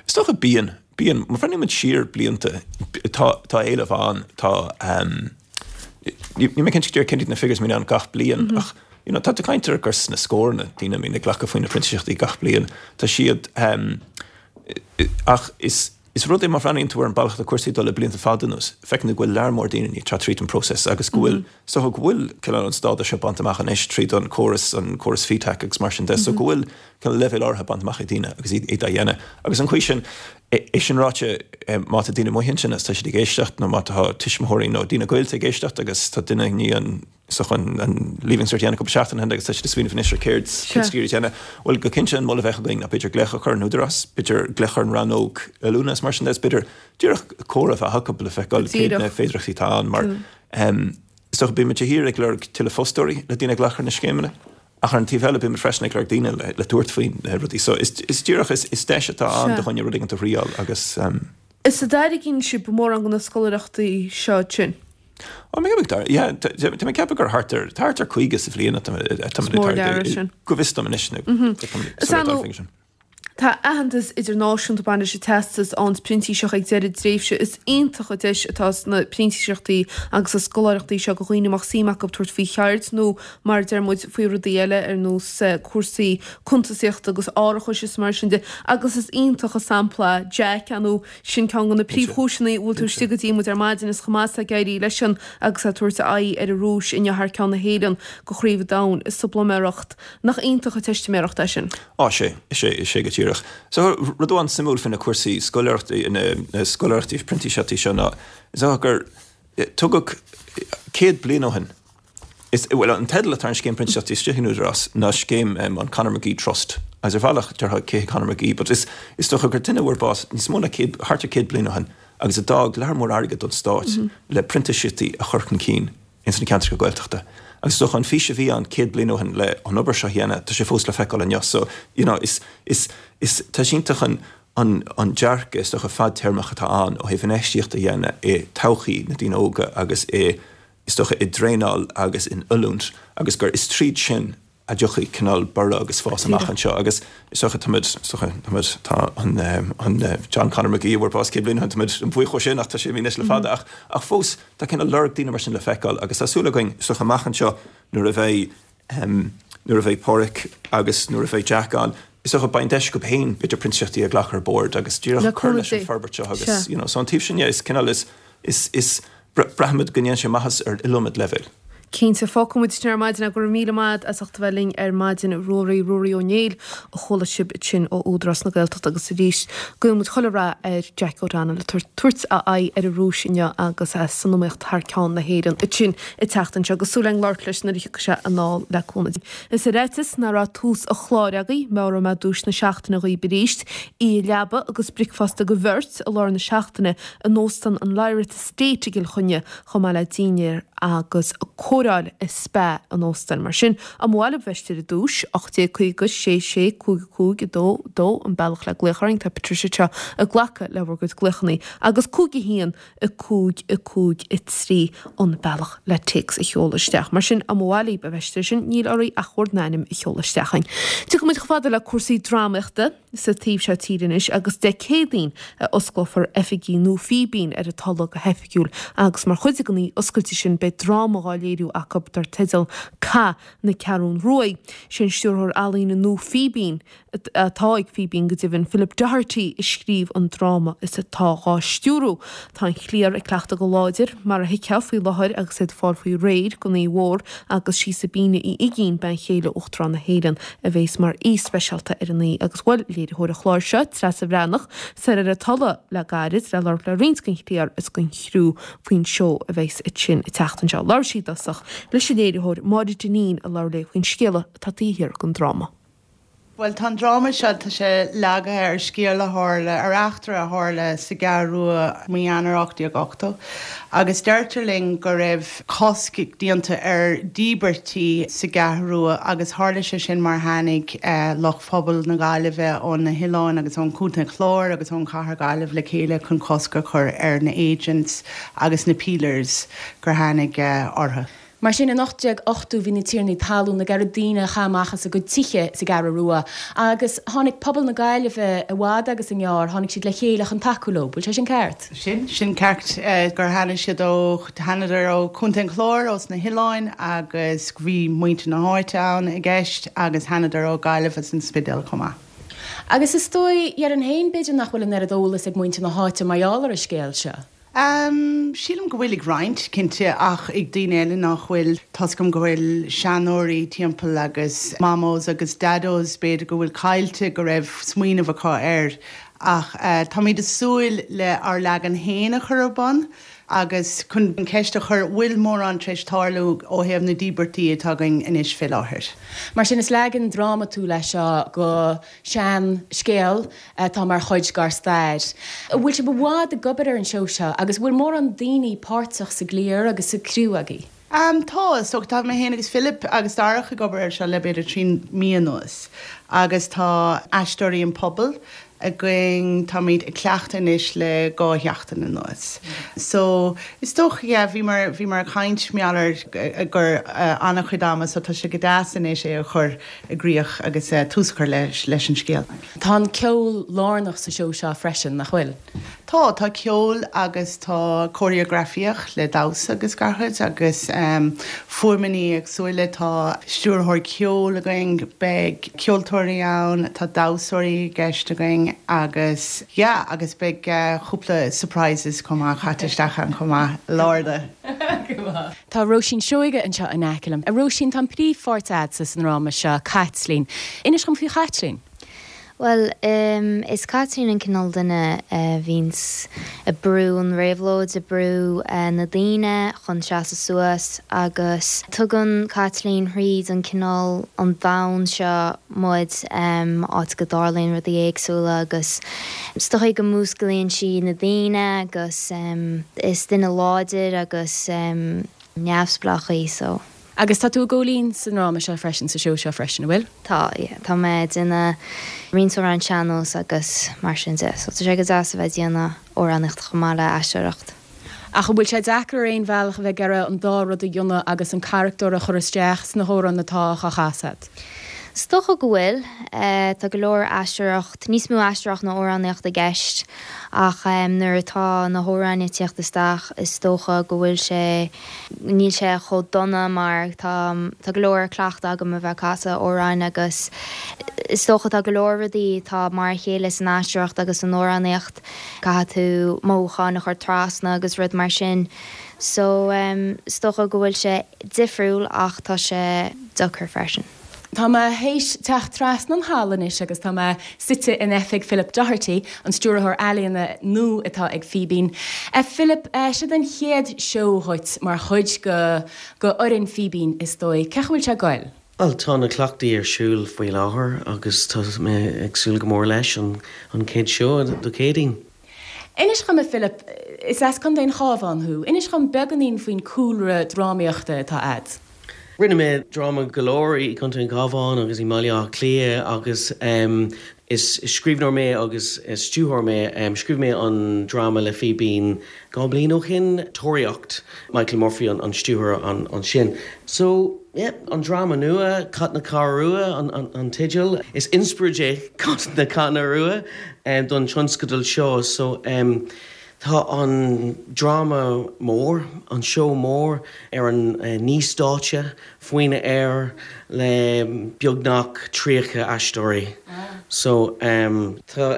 Is dócha, bíonn. Bíonn. Má bhreathnaíonn muid siar blianta, tá, tá éileamh ann, tá, níl mé cinnte go díreach cén iad na figures a bhíonn ann gach bliain ach, you know, tá tú ag caint ar gur sna scóranna daoine a bhíonn ag glacadh faoi na printíseachtaí gach bliain. Tá siad, ach is, is rud é má bhreathnaíonn tú ar an bealach atá cúrsaí ag dul le blianta fada anuas, feiceann tú go bhfuil lear mór daoine i ndiaidh teacht tríd an próiseas agus go bhfuil, is dócha go bhfuil cineál an stádas seo bainte amach anois tríd an córas, an córas FETAC agus mar sin de, so go bhfuil, cineál leibhéal áirithe bainte amach ag daoine agus iad á dhéanamh. Agus an chaoi sin, é sin ráite, má tá daoine amuigh ansin agus tá siad ag éisteacht nó má tá tuismitheoirí nó daoine gaolta ag éisteacht agus tá duine i ndiaidh an, is dócha, an Leaving Cert a dhéanamh cúpla seachtain ó shin agus tá siad ag smaoineamh anois ar céard, céard is a dhéanamh, bhuel, go cinnte an moladh a bheadh againn ná b'fhéidir glaoch a chur ar an Údarás, b'fhéidir glaoch ar an rannóg oiliúna is mar sin de, is b'fhéidir díreach comhrá a bheith acu le feiceáil céard na féidearthachtaí atá ann mar is dócha bíonn muid de shíor ag lorg tuilleadh fostóirí le daoine a ghlacadh ar na scéimeanna. Ach ar an taobh eile, bímid freisin ag lorg daoine le tabhairt faoi na rudaí. So is díreach, is deis atá ann do dhuine rud éigin a thriáil agus. Is an dtairgeann sibh mórán de na scoláireachtaí seo ansin? Ó, mé ag tar, yeah, tá mé ag ceapadh gur thart ar, thart ar caoga sa bhliain atá muid ag tairgeadh, go bhfios dom anois, nó tá mé ag dul faoin sin. Tá aitheantas idirnáisiúnta ag baint leis an teastas ann printíseach ag deireadh tréimhse. Is iontach an deis atá sna printíseachtaí agus sa scoláireachtaí seo do dhaoine a mbeadh suim acu tabhairt faoi cheird nó mar a deir muid faoi rudaí eile ar nós cúrsaí cuntasaíochta agus árachais is mar sin de agus is iontach an sampla Jack nó sin ceann de na príomhchúiseanna a bhfuil tú istigh go dtí muid ar maidin is chomh maith ag éirí leisean agus é ag tabhairt a aghaidh ar an Rúis inniu thar ceann na hÉireann go Chraobh an Domhain sa bpluiméireacht. Nach iontach an teistiméireacht é sin? Á, sé, is é, is é go díreach. So, rud amháin suimiúil faoi na cúrsaí scoláireachtaí, na scoláireachtaí printíseachtaí seo ná, is dócha gur tugadh céad bliain ó shin, is, bhuel, an teideal atá ar an scéim printíseachtaí istigh in Údarás ná scéim an Conor McGee Trust. Agus ar bhealach, déarfá cé hé Conor McGee, but is, is dócha gur duine a fuair bás níos mó ná céad, thart ar céad bliain ó shin agus a d'fhág lear mór airgid don stát le printíseachtaí a chur chun cinn ins na ceantracha Gaeltachta. Agus is dócha an fís a bhí ann céad bliain ó shin le an obair seo a dhéanamh, tá sé fós le feiceáil inniu. So, you know, is, is, is, tá sé iontach an, an, an dearcadh is dócha fadtéarmach atá ann ó thaobh infheistíocht a dhéanamh i todhchaí na daoine óga agus i, is dócha, i dtraenáil agus in oiliúint agus gur is tríd sin a dtiocfaidh cineál borradh agus fás amach anseo agus is dócha táimid, is dócha táimid, tá an, an John Conor McGee a fuair bás céad bliain ó shin, táimid an-bhuíoch dhó sin ach tá sé imithe anois le fada ach, ach fós tá cineál lorg daoine mar sin le feiceáil agus tá súil againn is dócha amach anseo nuair a bheidh, nuair a bheidh Páraic agus nuair a bheidh Jack ann, is dócha beidh an deis acu féin b'fhéidir printíseachtaí a ghlacadh ar bord agus díreach cur leis an forbairt seo agus, you know, so an taobh sin, yeah, is cineál is, is, is, braithimid go ndéanann sé maitheas ar iliomad leibhéal. Cinnte, fágfaidh muid sin ar maidin. Go raibh míle maith as ucht a bheith linn ar maidin, a Ruairí, Ruairí Ó Néill a chuala sibh ansin ó Údarás na Gaeltachta agus arís guíonn muid chuile rath ar Jack O'Donnell ag tabhairt a aghaidh ar an Rúis inniu agus é san iomaíocht thar ceann na hÉireann ansin an tseachtain seo agus súil againn labhairt leis nuair a thiocfaidh sé anall le cúnamh Dé. Is ar fhaitíos nach raibh tús an chláir agaibh, meabhróidh mé duais na seachtaine dhaoibh arís, oíche leaba agus bricfeasta do bheirt i lár na seachtaine in Óstán an Lyrath Estate i gCill Chainnigh chomh maith le dinnéar agus cóireáil i spa an óstáin. Mar sin, an mhaith libh bheith ar an duais, ocht déag caoga sé sé cúig cúig a dó dó an bealach le glaoch orainn, tá Patricia anseo ag glacadh le bhur gcuid glaochanna, agus cúig a haon a cúig a cúig a trí an bealach le téacs a sheoladh isteach. Mar sin, an mhaith libh a bheith air sin, níl oraibh ach bhur n-ainm a sheoladh isteach chugainn. Tiocfaidh muid chomh fada le cúrsaí drámaíochta sa taobh seo tíre anois agus Dé Céadaoin a osclófar oifigí nua Fíbín ar an Tulaigh go hoifigiúil agus mar chuid den oíche oscailte sin beidh dráma dhá léiriú acu dar teideal Cath na Ceathrún Ruaidh. Sé an stiúrthóir ealaíne nua Fíbín, atá ag Fíbín go deimhin, Philip Doherty a scríobh an dráma is atá dhá stiúrú. Tá an chliar ag cleachtadh go láidir, mar a thuigfeá, faoi láthair agus iad ag fáil faoi réir don oíche mhór agus sí Sabina Uí Uigínn, bean chéile Uachtarán na hÉireann, a bhéas mar aoi speisialta ar an oíche agus bhuel, léiritheoir an chláir seo, Treasa Bhreathnach, soir ar an Tulaigh le gairid le labhairt le roinnt den chliar is den chriú faoin seó a bheas ansin an tseachtain seo. Labhair sí i dtosach leis an léiritheoir Máire Dineen a labhair léi faoin scéal atá taobh thiar den dráma. Bhuel, tá an dráma seo, tá sé leagtha ar scéal a tharla, ar eachtra a tharla sa gCeathrú Rua mí Eanáir ocht déag ochtó agus deirtear linn go raibh cosc déanta ar dhíbirtí sa gCeathrú Rua agus tharla sé sin mar tháinig lucht phobal na Gaillimhe ó na hoileáin agus ón Chontae an Chláir agus ón chathair Gaillimh le chéile chun cosc a chur ar na agents agus na peelers gur tháinig orthu. Mar sin, in ocht déag ochtó bhí na tiarnaí talún ag iarraidh daoine a chaitheamh amach as a gcuid tithe sa gCeathrú Rua agus tháinig pobal na Gaillimhe i bhfad agus i ngearr, tháinig siad le chéile chun tacú leo. Bhfuil sé sin ceart? Sin, sin ceart, gur tháinig siad ó, thánadar ó Chontae an Chláir, ós na hoileáin agus bhí muintir na háite ann i gceist agus thánadar ó Ghaillimh agus an Spidéal chomh maith. Agus is dóigh, déarfainn féin, b'fhéidir nach bhfuil an oiread eolas ag muintir na háite mar gheall ar an scéal seo. Em, sílim go bhfuil ag roinnt, cinnte, ach ag daoine eile nach bhfuil. Tá's agam go bhfuil seanóirí timpeall agus mamós agus dados b'fhéidir go bhfuil caillte go raibh smaoineamh acu air. Ach eh, táimid ag súil le ár leagan féin a chur ar bun agus chun an cheist a chur, bhfuil mórán tar éis tarlú ó thaobh na díbirtí atá againn anois fé láthair. Mar sin is leagan drámatúil é seo go sean scéal atá mar chuid dár stair. An bhfuil sibh i bhfad ag obair ar an seó seo agus an bhfuil mórán daoine páirteach sa gcliar agus sa criú agaibh? Am, Tá, is dócha. Tá mé féin agus Philip agus Darach ag obair air seo le b'fhéidir trí mí anuas agus tá Aisteoirí an Phobail, againn táimid ag cleachtadh anois le dhá sheachtain anuas. So is dócha yeah, bhíomar bhíomar ag caint mar gheall gur an-chuid ama so tá sé go deas anois é a chur i gcrích agus uh, tús a chur leis leis an scéal. Tá an ceol lárnach sa seó seo freisin nach bhfuil. Tá tá ceol agus tá choreografaíocht le damhsa agus gach rud agus um, fuaimeanna éagsúla tá stiúrthóir ceoil againn beidh ceoltóirí ann tá damhsóirí i gceist againn agus yeah, agus beidh uh, cúpla surprises chomh maith caite isteach ann chomh maith lárda. Tá Róisín Seoige anseo in aice liom. A Róisín tá príomhpháirt agatsa sa dráma seo Caitlín. Inis dom faoi Chaitlín. Well, um, is Caitlín an cineál duine uh, bhíonns ag brú an réabhlóid ag brú uh, na daoine chun seasamh suas agus tugann Caitlín thríd an cineál an domhan seo muid um, áit go dtarlaíonn rudaí éagsúla agus is dócha go músclaíonn sí na daoine agus um, is duine láidir agus um, neamhspleách í so. Agus tá tú ag gabháil fhoinn sa dráma seo freisin sa seó seo freisin bhfuil? Tá tá mé ag déanamh roinnt amhrán sean-nós agus mar sin de, so tá sé go deas a bheith ag déanamh amhránaíocht chomh maith le aisteoireacht. Ach bhfuil sé deacair aon bhealach a bheith ag iarraidh an dá rud a dhéanamh agus an carachtar a chur isteach sna hamhráin atá á chasadh. Is dócha go bhfuil tá go leor aisteoireacht, níos mó aisteoireacht ná amhránaíocht i gceist ach um, nuair atá na hamhráin ag teacht isteach is dócha go bhfuil sé níl sé chomh dona mar tá tá go leor cleachtadh agam a bheith casadh amhráin agus is dócha tá go leor rudaí tá mar a chéile san aisteoireacht agus san amhránaíocht caithfidh tú mothúcháin a chur trasna agus rud mar sin. So um, is dócha go bhfuil sé difriúil ach tá sé deacair freisin. Tá mé théis teacht trasna an halla anois agus tá mé suite in oifig Philip Doherty, an stiúrthóir ealaíona nua atá ag Fíbín. E Philip e, seo an chéad seó dhuit mar chuid go go fhoireann Fíbín is dóigh, Cén chaoi bhfuil sé ag goil? Well tá na cleachtaí ar siúl faoi láthair agus tá mé ag súil go mór leis an an chéad seó Dé Céadaoin. Inis dom a Philip is as Contae an Chabháin thú, Inis dom beagáinín faoin cúlra drámaíochta atá agat. Rinne mé dráma go leor i gContae an Chabháin agus i mBaile Átha Cliath agus um, is scríbhneoir mé agus is stiúrthóir mé um, scríobh mé an dráma le Fíbín dhá bhliain ó shin Tóraíocht Michael Murphy an, an stiúrthóir an, an sin. So yeah, an dráma nua Cat na Ceathrún Rua an, an, an teideal is inspioráid é Cat na Ceathrún Rua um, don tionscadal seo so um, Tá an dráma mór, an seó mór ar an uh, naoi stáitse faoin aer le beagnach tríocha aisteoirí. Ah. So um, tá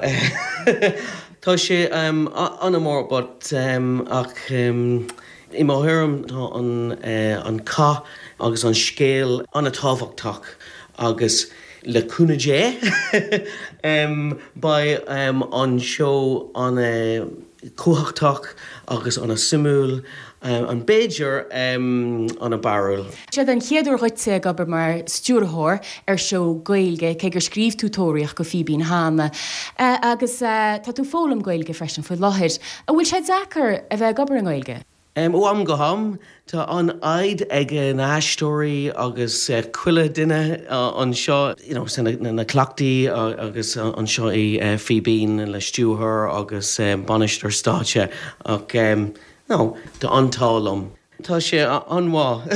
tá sé um, an-mhór but um, ach um, i mo thuairim tá an, uh, an cath agus an scéal an-tábhachtach agus le cúnamh Dé um, beidh um, an seó an uh, cumhachtach agus an-suimiúil um, an b'fhéidir um, an-bharrúil. Seo an chéad uair dhuit ag obair mar stiúrthóir ar seó Gaeilge cé gur scríobh tú Tóraíocht go Fíbín cheana. Uh, agus uh, tá tú ag foghlaim Gaeilge freisin faoi láthair. An bhfuil sé deacair a bheith ag obair i nGaeilge? Um, ó am go ham Tá an fhadhb ag na haisteoirí agus uh, chuile duine uh, anseo you know, na, na, na cleachtaí uh, agus uh, anseo i uh, Fíbín le stiúrthóir agus um, bainisteoir stáitse ach um, no, tá an t-ádh liom. Tá sé an-mhaith.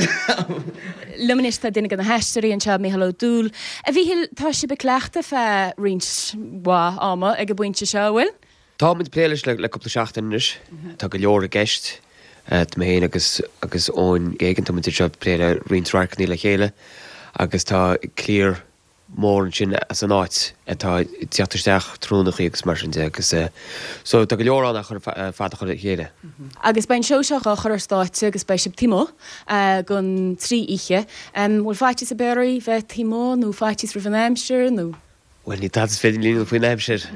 Liom anois tá duine de na haisteoirí anseo Mícheál Ó Dúill. A Mhíchíl tá sibh ag cleachtadh feadh roinnt mhaith ama ag an bpointe seo bhfuil? Tá muid plé leis le le cúpla seachtain anois Tá go leor i gceist Tá mé féin agus agus ón géigen tá seo plé le roinnt radharcanna le chéile agus tá cliar mór sin as an áit atá teacht isteach trúnachaí agus mar sin de agus so tá go leor an chur fada chur le chéile. Agus beidh an seó seo á chur ar stáitse agus beidh sibh taobh amuigh don trí oíche. bhfuil faitíos ar bith oraibh bheith taobh amuigh nó faitíos roimh an aimsir nó? Well ní tada is féidir linn faoin aimsir.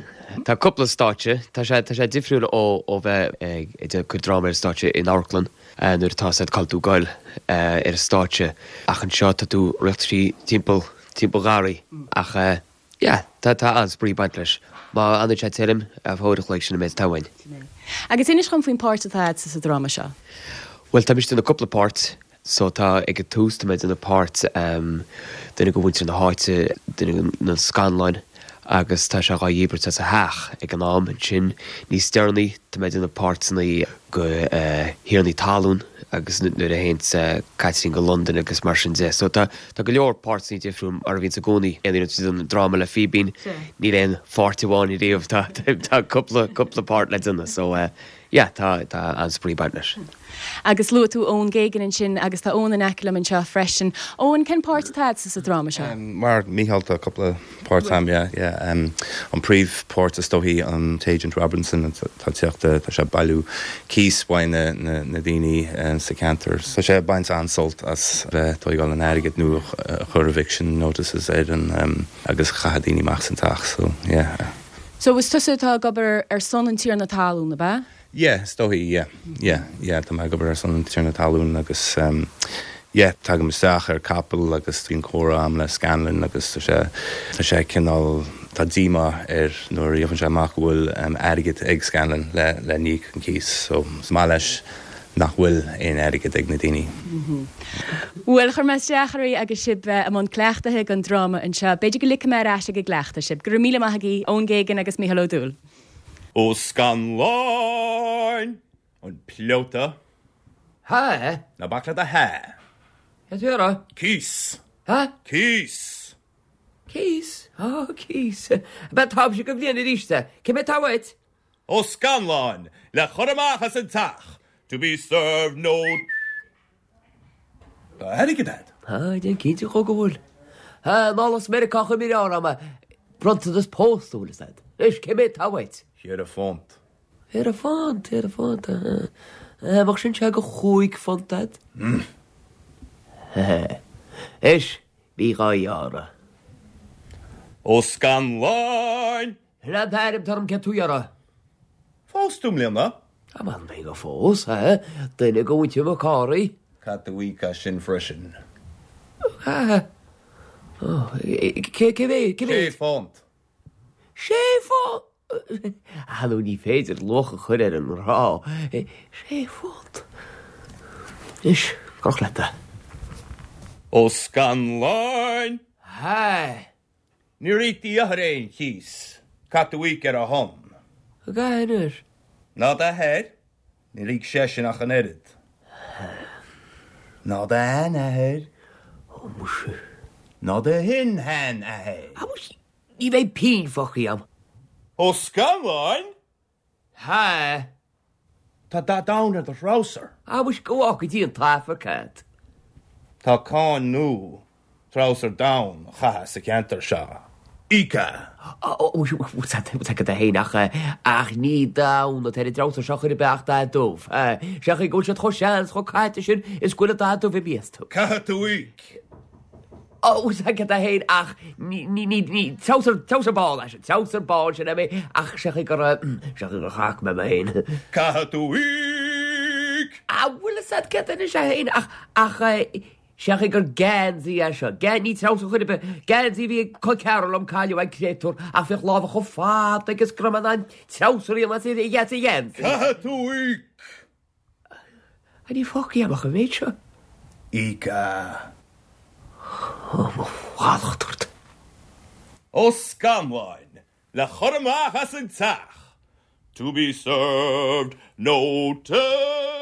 Tá cúpla stáitse, Tá sé tá sé difriúil ó ó bheith ag cur dráma ar stáitse in amharclann nuair atá siad caithfidh tú goil ar stáitse ach anseo tá tú ag rith trí timpeall timpeall garraí ach yeah, tá tá an-spraoi ag baint leis. Má an sé tirim a fóidir sin mé tahain. Agus inis dom faoin páirt atá agat sa dráma seo. Well tá mise ag déanamh cúpla páirt so tá ag an tús tá mé ag déanamh páirt um, duine de mhuintir na háite duine na scanláin agus tá sé dhá dhíbirt as a theach ag an am. Ansin níos deireanaí tá mé ag déanamh páirteanna go thiarnaí talún agus nuair a théann Caitlín go Londain agus mar sin de. So tá tá go leor páirteanna difriúil mar a bhíonns i gcónaí aon uair a déanann dráma le Fíbín níl aon pháirt amháin riamh tá tá cúpla cúpla páirt le déanamh so yeah tá tá an-spraoi ag baint leis. Agus luaigh tú Eoin Geoghegan ansin agus tá Eoin in aice liom anseo freisin. Eoin, cén páirt atá agatsa sa dráma seo? Mar Mícheál tá cúpla páirt agam, yeah, yeah. An príomhpháirt is dóichí an tAgent Robinson atá ag teacht, tá sé ag bailiú cíos uaidh na na na daoine sa cheantar. Tá sé ag baint an-sult as bheith ag tóigeáil an airgid nó a chur eviction notices ar an agus chaitheamh daoine amach as an teach so yeah. So is tusa atá ag obair ar son an tiarna talún, ab ea? Yeah, is dóichí, yeah, yeah, yeah, tá mé ag obair ar son an tiarna talún agus um, yeah, tagaim isteach ar capall agus bíonn comhrá agam le Scanlon agus tá sé, tá sé cineál, tá díomá air nuair a gheobhann sé amach go bhfuil um, airgead ag Scanlon le, le n-íoc an cíos, so is maith leis nach bhfuil aon airgead ag na daoine. Bhuel, chuir mé isteach oraibh agus sibh i mbun cleachtaithe don dráma anseo. B'fhéidir go ligfidh mé ar ais ag an gcleachtadh sibh. Go raibh míle maith agaibh, Eoin Geoghegan agus Mícheál Ó Dúill. Ó Scanláin! An pleota! Há? Ná bac le do há. Cad tú a rá? Cíos! Há? Cíos! Cíos? Ó, cíos. Ab ea táimse go bhliain arís é. Cé mhéad atá uait? Ó Scanláin! Le chur amach as an teach! To be served no. Tá airgead a'd. Tá, déan cinnte dhó go bhfuil. Anall as Meiriceá chuir mé ar am bronntanas pósta bhfuil fhios a'd. Anois, cé mhéad atá uait? Ceithre phunt. Ceithre phunt, ceithre phunt, aha. Bheadh sin sé go chúig phunt a'd. Anois, bí dhá ghearradh. Ó Scanláin! Sin é an t-ainm atá orm céard tú iarraidh. Phós tú i mbliana? Tá m'anam gur phós, ha? Duine de mhuintir Mhic Cárthaigh. Caithfidh tú íoc as sin freisin. Caithfidh? Ó, cé, cé mhéad, cé mhéad? Sé phunt. Sé phunt? Ah, nó ní féidir luach a chur ar an ngrá. Sé phunt. Anois, croch leat é. Ó Scanláin! Ha! Níor íoc d'athair aon chíos. Caithfidh tú íoc ar a shon. Go gcaithfidh anois. Ná d'athair, níor íoc seisean ach an oiread. Ná d'sheanathair. Ó muise. Ná do shin-sheanathair. Á muise, ní bheidh pingin fágtha agam. Ó Scanláin! Ha! Tá dath donn ar do threabhsar. Á muise, go bhfága Dia an t-Aifric a'd. Tá cáin nua treabhsar donn a chaitheamh sa cheantar seo. Íoc é! Ó, bhfuil fhios agat é féin ach, ach ní donn atá ar an dtreabhsar seo chor ar bith ach dath dubh. Sé an chaoi go bhfuil siad chomh sean is chomh caite sin is go bhfuil an dath dubh imithe astu. Caithfidh tú íoc! Ó, bhfuil fhios agat é féin ach ní, ní, ní, ní, treabhsar, treabhsar bán é sin, treabhsar bán sin é mé ach sé an chaoi gur, sé an chaoi gur chac mé mé féin. Caithfidh tú íoc! Á, bhfuil fhios agat céard anois é féin ach, ach, Sé an chaoi gur geansaí é seo. Gan, ní treabhsar chor ar bith. Geansaí a bhí ag col ceathrar liom cailleadh an créatúr ach bhíodh lámha chomh fada aige is go raibh mé in ann treabhsar a dhéanamh as a gheansaí. Caithfidh tú íoc! Á ní fágtha agam ach an méid seo. Íoc é. Ó mo mhallacht ort. Ó Scanláin, le chur amach as an teach! To be served notice!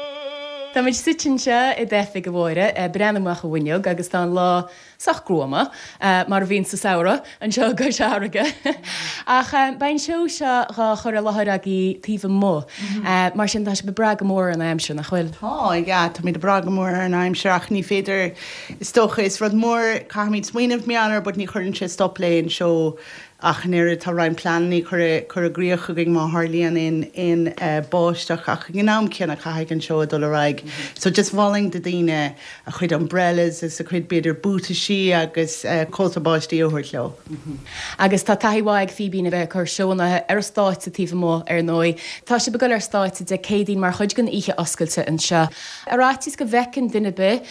Táimid suite anseo i d'oifig, a Mháire, ag breathnú amach an bhfuinneog agus tá an lá sách gruama, mar a bhíonn sa samhradh anseo i gCois Fharraige. Ach beidh an seó seo dhá chur i láthair agaibh taobh amuigh, mar sin tá sibh ag brath go mór ar an aimsir, nach bhfuil? Tá, yeah, táimid ag brath go mór ar an aimsir ach ní féidir, is dócha, is rud mór, caithfimid smaoineamh mar gheall air but ní chuireann sé stop le aon seó Ach an oiread, tá roinnt pleananna curtha i gcrích againn má tharlaíonn aon báisteach ach ag an am céanna caithfidh an seó dul ar aghaidh. So just mholfainn do daoine a chuid umbrellas is a chuid b'fhéidir buataisí agus cóta báistí a thabhairt leo. Agus tá taithí mhaith ag Fíbín a bheith ag cur seónna ar an stáitse taobh amuigh ar ndóigh. Tá sibh ag dul ar stáitse Dé Céadaoin mar chuid den oíche oscailte anseo. Ar fhaitíos go bhfeiceann duine ar bith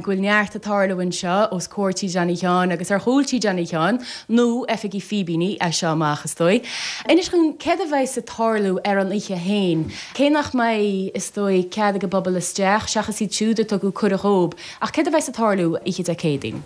go bhfuil neart ag tarlú anseo os comhair Tí Johnny Sheáin agus ar chúl Tí Johnny Sheáin nó oifigí Fíbíní as seo amach, is dóigh. Inis dhúinn céard a bheas ag tarlú ar an oíche féin, cé nach mbeidh, is dóigh, cead ag an bpobal isteach, seachas iad siúd a tugadh cuireadh dhóibh, ach céard a bheas ag tarlú oíche Dé Céadaoin?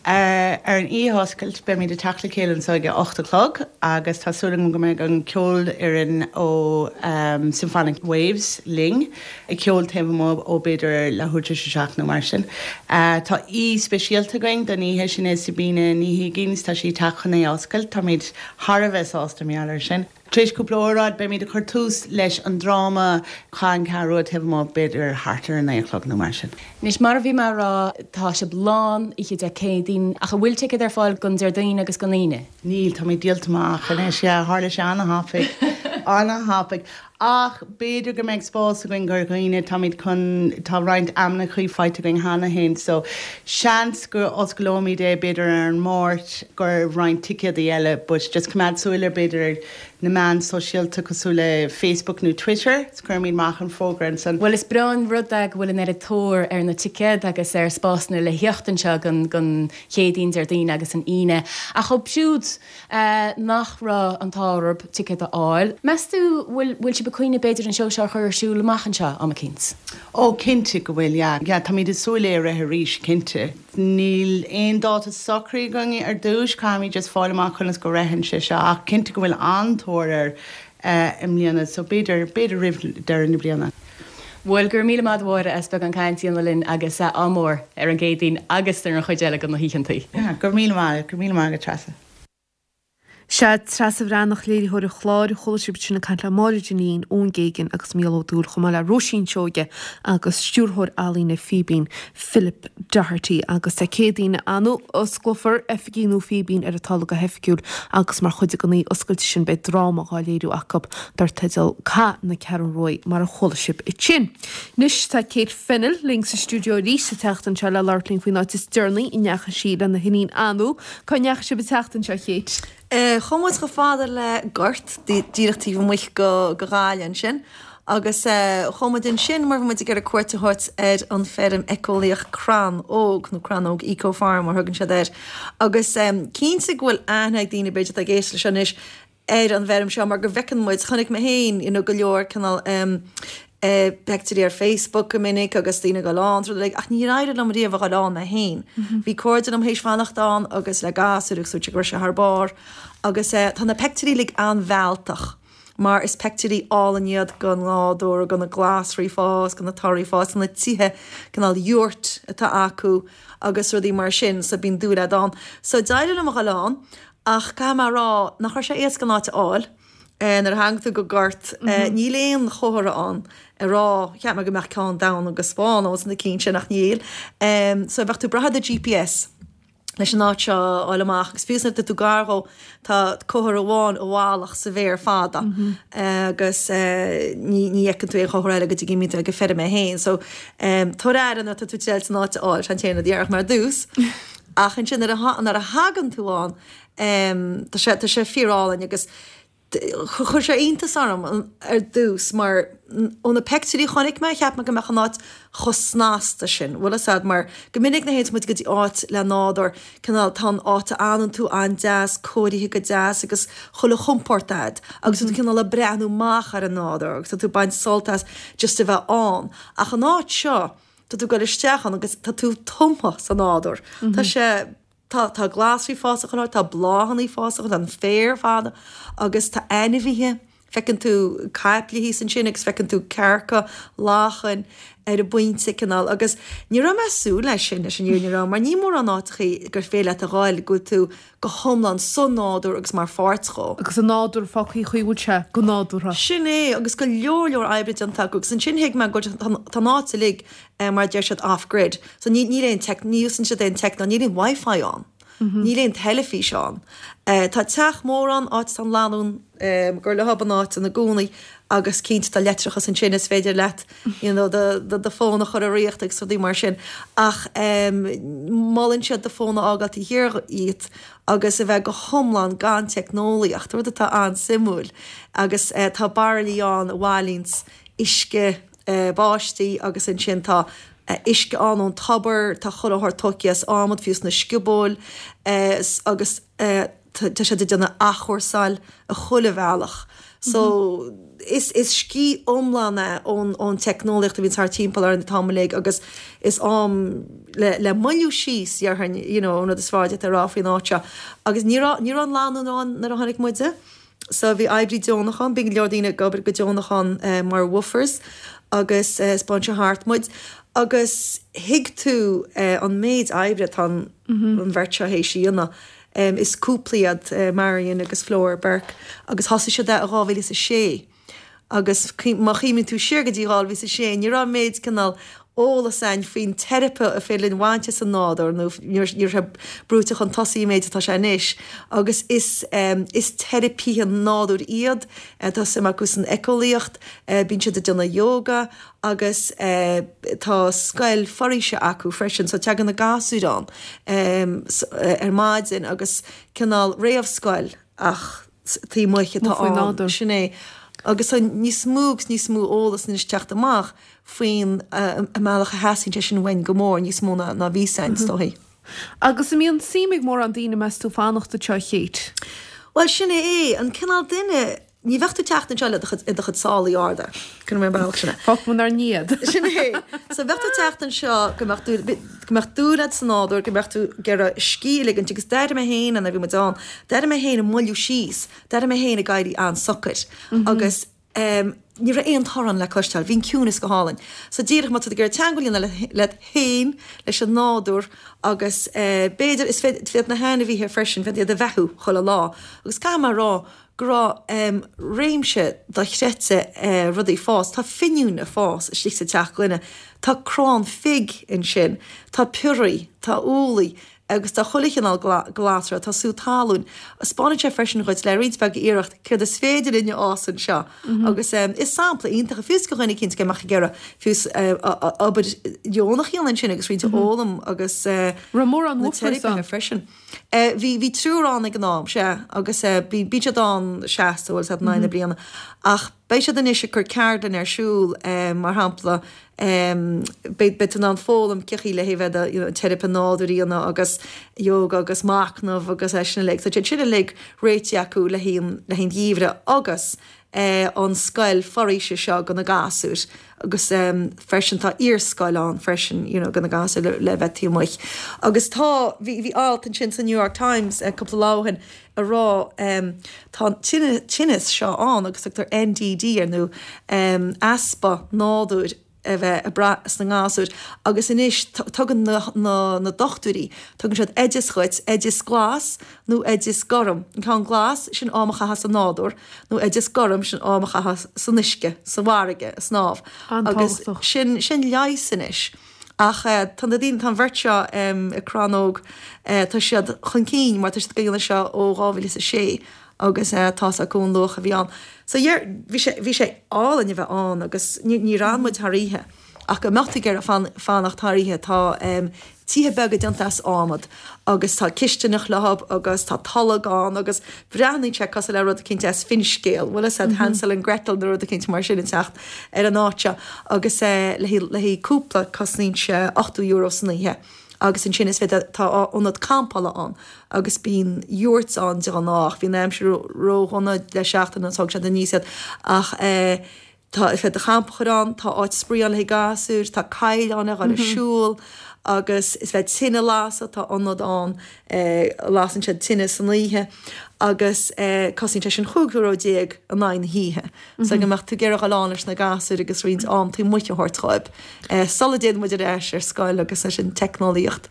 Ar an oíche oscailte beimid ag teacht le chéile anseo ag a hocht a chlog agus tá súil agam go mbeidh an ceolfhoireann ó um, Symphonic Waves linn ag ceol taobh amuigh ó b'fhéidir leathuair tar éis a seacht nó mar sin. Uh, tá aoi speisialta againn don oíche sin é Sabina Ní Higgins tá sí ag teacht chun é a oscailt, táimid thar a bheith sásta mar gheall air sin. Tar éis cúpla óráid beimid ag cur tús leis an dráma Cath na Ceathrún Rua taobh amuigh b'fhéidir thart ar a naoi a chlog nó mar sin. Anois mar a bhí mé a rá tá sibh lán oíche Dé Céadaoin ach an bhfuil ticéid ar fáil don Déardaoin agus don Aoine? Níl, táimid díolta amach anois, yeah, tharla sé an-thapaidh, an-thapaidh. Ach b'fhéidir go mbeidh spás againn gur dhaoine táimid chun tá roinnt ainmneacha faighte againn cheana féin, so seans go osclóimid é b'fhéidir ar an Máirt gur roinnt ticéadaí eile, but just coimeád súil ar b'fhéidir ar na meáin sóisialta cosúil le Facebook nó Twitter, is cuirimid amach an fógra ansan. Bhuel is breá an rud é go bhfuil an oiread tóir ar na ticéid agus ar spásanna le theacht anseo don don Chéadaoin, Déardaoin agus an Aoine. Ach dóibh siúd nach raibh an t-ádh orthu ticéad a fháil, meas tú bhfuil bhfuil sibh ag cuimhneamh b'fhéidir an seó seo a chur ar siúl amach anseo am eicínt? Ó cinnte go bhfuil, yeah. Yeah, táimid ag súil é a rith arís, cinnte. Níl aon dáta socraithe againn ar dtús, caithfimid just fáil amach conas go ritheann sé seo ach cinnte go bhfuil an-tóir air i mbliana so b'fhéidir, b'fhéidir roimh deireadh na bliana. Bhuel, go raibh míle maith agat a Mháire as beagán cainte a dhéanamh linn agus ádh mór ar an gCéadaoin agus ar an chuid eile de na hoícheantaí. Yeah, go raibh míle maith, go raibh míle maith agat Treasa. Sea, Treasa Bhreathnach, léiritheoir an chláir, chuala sibh ansin ag caint le Máire Dineen, Eoin Geoghegan agus Mícheál Ó Dúill, chomh maith le Róisín Seoige agus stiúrthóir ealaíne Fíbín, Philip Doherty. Agus Dé Céadaoin anú, osclófar oifigí nua Fíbín ar an talamh go hoifigiúil agus mar chuid den oíche oscailte sin beidh dráma dhá léiriú acu dar teideal Cath na Ceathrún Ruaidh mar a chuala sibh ansin. Anois tá Kate Fennell linn sa stiúideo arís sa tseachtain seo le labhairt linn faoin áit is deireanaí a ndeachaigh sí lena hiníon Anu. Cá ndeachaigh sibh an tseachtain seo, Kate? Chuaigh muid chomh fada le Gort, díreach taobh amuigh go Gaillimh ansin, agus chuaigh muid ansin mar bhí muid ag iarraidh cuairt a thabhairt ar an feirm éiceolaíoch Crann Óg, nó Crannóg Eco Farm mar thugann siad air. Agus cinnte go bhfuil aithne ag daoine b'fhéidir atá ag éisteacht leis seo anois ar an bhfeirm seo mar go bhfeiceann muid, chonaic mé féin, you know, go leor cineál peictiúirí ar Facebook go minic agus daoine ag dul ann is rud uilig ach níor éirigh liom riamh a dhul ann mé féin. Bhí cairde liom théis fanacht ann agus le gasúir agus dúirt siad go raibh sé thar barr agus tá na peictiúirí uilig an-mhealltach mar is peictiúirí álainn iad den nádúr, de na glasraí ag fás, de na torthaí ag fás, de na tithe cineál yurt atá acu agus rudaí mar sin so bíonn dúil a'd ann. So d'éirigh liom a dhul ann ach caithfidh mé a rá nach raibh sé éasca an áit a fháil. Nuair a thagann tú go Gort, níl aon chomhartha ann ag rá, cheap mé go mbeadh ceann donn agus bán ann sna cinn sin ach níl. So bheadh tú ag brath ar do GPS leis an áit seo a fháil amach agus fiú nuair atá tú gar dhó tá comhartha amháin i bhfalach sa bhféar fada agus ní ní fheiceann tú aon chomhartha eile go dtí go mbíonn tú ag an feirm é féin. So tabhair aire nuair atá tú ag triáilt an áit a fháil, sin an t-aon rud a déarfadh mé ar dtús. Ach ansin nuair a nuair a thagann tú ann tá sé tá sé fíorálainn agus Chuir sé iontas orm ar dtús mar ó na peictiúirí a chonaic mé, cheap mé go mbeadh an áit chomh snasta sin, bhfuil fhios a'd, mar go minic nuair a théanns muid go dtí áit le nádúr, cineál tá an áit a fhanann tú an-deas, cóirithe go deas agus chuile chompord a'd agus tá tú cineál ag breathnú amach ar an nádúr agus tá tú ag baint sult as just a bheith ann. Ach an áit seo, tá tú ag dul isteach ann agus tá tú tumtha sa nádúr. Tá sé. Tá, tá glasraí ag fás chuile áit, tá bláthanna ag fás chuile áit, tá an féar fada agus tá ainmhithe, feiceann tú caiple thíos ansin agus feiceann tú cearca, lachain ar an bpointe cineál agus ní raibh mé ag súil leis sin, leis an fhírinne a rá, mar ní mórán áiteachaí gur féidir leat a ghabháil go bhfuil tú go hiomlán sa nádúr agus mar pháirt dhó. Agus an nádúr fágtha an chaoi a bhfuil sé go nádúrtha. Sin é, agus go leor leor oibre déanta acu agus ansin thuig mé go bhfuil, tá an áit uilig mar a deir siad off grid. So ní níl aon tech ní úsáideann siad aon teicneolaíocht, níl aon wifi ann. Níl aon teilifís ann. Tá teach mór ann, áit atá an lánúin gur leo an áit ina gcónaí agus cinnte tá leictreachas ansin is féidir leat you know do do do fón a chur i riocht agus rudaí mar sin ach molann siad do fón a fhágáil taobh thiar dhíot agus a bheith go hiomlán gan teicneolaíocht, rud atá an-suimiúil agus tá bairillí ann a bhailíonns uisce báistí agus ansin tá uisce ann ón tobar, tá chuile shórt tógtha as adhmad, fiú sna sciobóil agus tá siad ag déanamh athchúrsáil i chuile bhealach. So is is scíth iomlán é ón ón teicneolaíocht a bhíonn thart timpeall orainn an t-am uilig agus is am le le moilliú síos déarfainn you know an rud is fearr a d'fhéadfá a rá faoin áit seo. Agus ní raibh ní raibh an lánúin ann nuair a tháinig muide. So bhí oibrí deonach ann, bíonn go leor daoine ag obair go deonach ann mar woofers agus 'spáin sé thart muid agus thuig tú an méid oibre atá an an bheirt seo théis a dhéanamh. Is cúpla iad Marion agus Flora Burke agus thosaigh siad é i dhá mhíle is a sé agus má chuimhníonn tú siar go dtí dhá mhíle is a sé ní raibh an méid cineál eolas a'inn faoin teiripe a féidir linn bhaint as an nádúr nó ní raibh sé brúite chun tosaigh an méid atá sé anois agus is is teiripithe nádúir iad, tá suim acu san éiceolaíocht, bíonn siad ag déanamh yoga agus tá scoil foraoise acu freisin so tagann na gasúir ann ar maidin agus cineál réamhscoil ach taobh amuigh atá ann, sin é. Agus tá níos mó agus níos mó eolas anois ag teacht amach faoin mbealach a theastaíonn sé sin uainn go mór, níos mó ná a bhí 'fhios a'inn, is dóichí. Agus an mbíonn suim ag mórán daoine, meas tú, fanacht anseo, a Kate? Bhuel, sin é é, an cineál duine, ní bheadh tú ag teacht anseo le do chuid, i do chuid sálaí arda, cuirfidh mé an bealach sin é. Fágfaidh muid inár ndiaidh. Sin é. So bheadh tú ag teacht anseo go mbeadh tú, go mbeadh dúil agat sa nádúr, go mbeadh tú ag iarraidh scíth a ligint agus d'airigh mé féin nuair a bhí muid ann, d'airigh mé féin ag moilliú síos, d'airigh mé féin ag éirí an-socair agus ní raibh aon torann le cloisteáil, bhí an ciúnas go hálainn. So díreach má tá tú ag iarraidh teagmháil a dhéanamh leat féin, leis an nádúr agus b'fhéidir, is féidir na hainmhithe freisin, féidir iad a bheathú chuile lá agus caithfidh mé a rá go raibh réimse dochreidte rudaí ag fás, tá finiúin ag fás istigh sa teach gloine, tá crann fig ansin, tá piorraí, tá úllaí, agus tá chuile chineál glasra, tá sú talún. 'Spáineann sé freisin dhuit, le roinnt bheag iarracht, céard is féidir linn a fhás anseo. Agus is sampla iontach é, fiú is do dhuine eicínt go mbeadh ag iarraidh fiú obair dheonach a dhéanamh ansin agus roinnt a fhoghlaim agus na teiripithe freisin. Bhí bhí triúr ann ag an am, sea, agus bíonn siad ann seasta, bhuel, in aghaidh na bliana. Ach beidh siad anois ag cur ceardlann ar siúl, mar shampla, Beidh tú in ann foghlaim cén chaoi le hé bheith do you know teiripe nádúir a dhéanamh agus yoga agus machnamh agus é sin uilig. So tá sin uilig réitithe acu le haghaidh an le haghaidh an gheimhridh agus an scoil foraoise seo do na gasúir agus freisin tá iarscoil ann freisin you know do na gasúir le le bheith taobh amuigh. Agus tá bhí bhí alt ansin sa New York Times cúpla lá ó shin a rá tá an tinneas seo ann agus tugtar N D D air nó easpa nádúir a bheith ag brath sna ngasúir agus anois tugann na dochtúirí, tugann siad oideas dhuit, oideas glas nó oideas gorm. An ceann glas, sin am a chaitheamh sa nádúr, nó oideas gorm, sin am a chaitheamh san uisce, sa bhfarraige, ag snámh. Agus sin, sin leigheas anois. Ach tá na daoine, tá an bheirt seo i Crannóg, tá siad chun cinn mar tá siad ag déanamh seo ó dhá mhíle is a sé agus tá's acu an luach a bhí ann. So yeah, bhí sé, bhí sé álainn a bheith ann agus ní, níor fhan muid thar oíche ach go mbeadh tú ag iarraidh fanacht thar oíche tá tithe beaga déanta as adhmad agus tá cistineach leo agus tá tolg ann agus breathnaíonn sé cosúil le rud eicínt as finscéal, bhfuil fhios a'd, Hansel and Gretel nó rud eicínt mar sin ag teacht ar an áit seo agus le haghaidh cúpla cosnaíonn sé ochtó euro san oíche agus ansin is féidir, tá ionad campála ann agus bíonn yurts ann de ghnáth ach bhí an aimsir ródhona le seachtain agus thóg siad aníos iad ach eh Tá, is féidir do champa a chur ann, tá áit spraoi ann le haghaidh gasúir, tá coill ann le dhul ag siúl agus is féidir tine a lasadh, tá ionad ann a lasann siad tine san oíche agus cosnaíonn sé sin chúig euro déag in aghaidh na hoíche. So go mbeadh tú ag iarraidh dhul ann leis na gasúir agus roinnt am taobh amuigh a thabhairt dhóibh sula dtéann muid ar ais ar scoil agus leis an teicneolaíocht,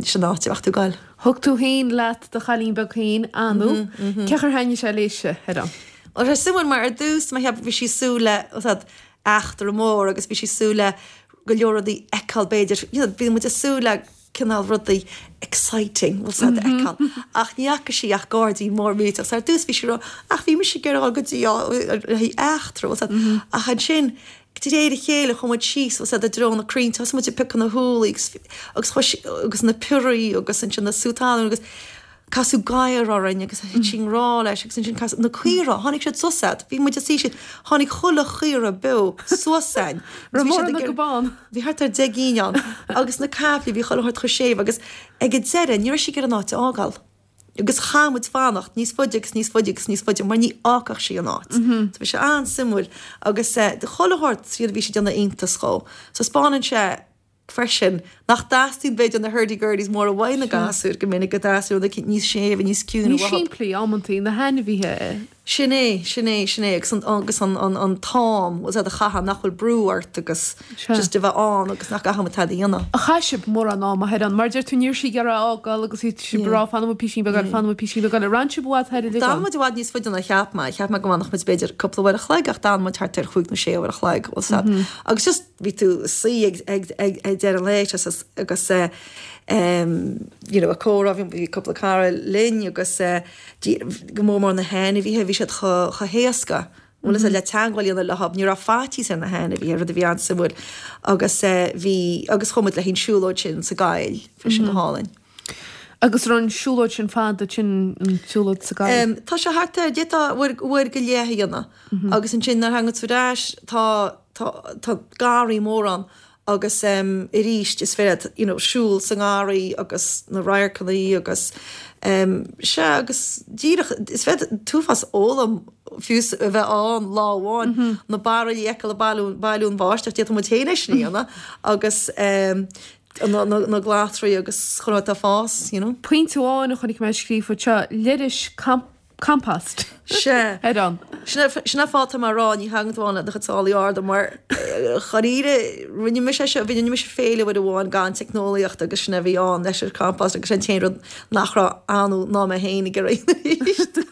sin áit a bheadh tú ag goil. Thug tú féin leat do chailín beag féin, Anu. Cén chaoi ar thaitnigh sé léise, ar an. Bhuel, tá sé suimiúil mar ar dtús mar cheap bhí sí ag súil le tá eachtra mór agus bhí sí ag súil le go leor rudaí a fheiceáil b'fhéidir, you know, bhí muid ag súil le cineál rudaí exciting, bhfuil 's a'd, a fheiceáil. Ach ní fhaca sí ach gairdín mór millteach. So ar dtús bhí sí ag rá, ach bhí mise ag iarraidh dul go dtí le haghaidh eachtra, bhfuil 's a'd. Ach ansin, de réir a chéile chuaigh muid síos, bhfuil 's a'd, i dtreo na crainnte, thosaigh muid ag piocadh na húllaí agus agus chuaigh sí agus na piorraí agus ansin na sú talún agus Casadh gadhar orainn agus thit sí i ngrá leis agus ansin casadh na caora, tháinig siad suas a'd, bhí muid ag suí síos, tháinig chuile chaora beo suas a'inn. Raibh mórán acu ann? Bhí thart ar deich gcinn ann agus na caiplí, bhí chuile shórt chomh séimh agus ag an deireadh ní raibh sí ag iarraidh an áit a fhágáil. Agus chaith muid fanacht níos faide agus níos faide agus níos faide mar ní fhágfadh sí an áit. So bhí sé an-suimiúil agus chuile shórt a bhí sé ag déanamh iontas dhó. So 'spáineann sé freisin nach dteastaíonn b'fhéidir na hurdy-gurdies móra uaidh na gasúir go minic go dteastaíonn rud éicint níos séimhe níos ciúine Níos simplí amantaí na hainmhithe. Sin é, sin é, sin é agus an agus an an an t-am was a chaitheamh nach bhfuil brú ort agus just a bheith ann agus nach gcaithfidh muid tada a dhéanamh. Ar chaith sibh mórán ama thoir ann, mar deir tú ní raibh sí ag iarraidh a fhágáil agus bhí sibh ag rá fanfaidh muid písín beag eile, fanfaidh muid písín beag eile. Ar fhan sibh i bhfad thoir uilig D'fhan ann? muid i bhfad níos faide ná cheap mé. Cheap mé go bhfanfadh muid b'fhéidir cúpla uair a chloig ach d'fhan muid thart ar chúig nó sé uair a chloig, bhfuil 's a'd. Agus just bhí tú ag suí ag ag ag ag deireadh an lae just agus eh em you know ag comhrá bhí cúpla cara linn agus eh go mór mór na hainmhithe, bhí siad chomh héasca, bhfuil fhios a'd, le teangmháil a dhéanamh leo, ní raibh faitíos ar na hainmhithe, rud a bhí an-suimiúil agus bhí, agus chuaigh muid le haghaidh an siúlóid sin sa gcoill, bhí sin go hálainn. Agus raibh an siúlóid sin fada, sin an tsiúlóid sa gcoill? Tá sé thart ar, d'fhéadfá uair, uair go leith a dhéanamh agus ansin nuair a thagann tú ar ais tá, tá, tá garraí mór ann Agus arís is féidir leat you know siúl sa ngarraí agus na radharcanna agus sea agus díreach is féidir an t-uafás a fhoghlaim fiú a bheith ann lá amháin na bairillí a fheiceáil ag bailiú bailiú an bháisteach d'fhéadfadh muid féin é sin a dhéanamh agus na na na glasraí agus chuile rud atá ag fás you know. Pointe amháin a chonaic mé scríofa anseo, leithris compost. Sea. Ar an. Sin an fáth atá mé a rá, ní thagann tú ann le do chuid sálaí arda mar dháiríre, rinne mise é seo, rinne mise féile uair amháin gan teicneolaíocht agus sin a bhí ann, leis an compost agus sin an t-aon rud nach raibh Anu ná mé féin ag iarraidh arís.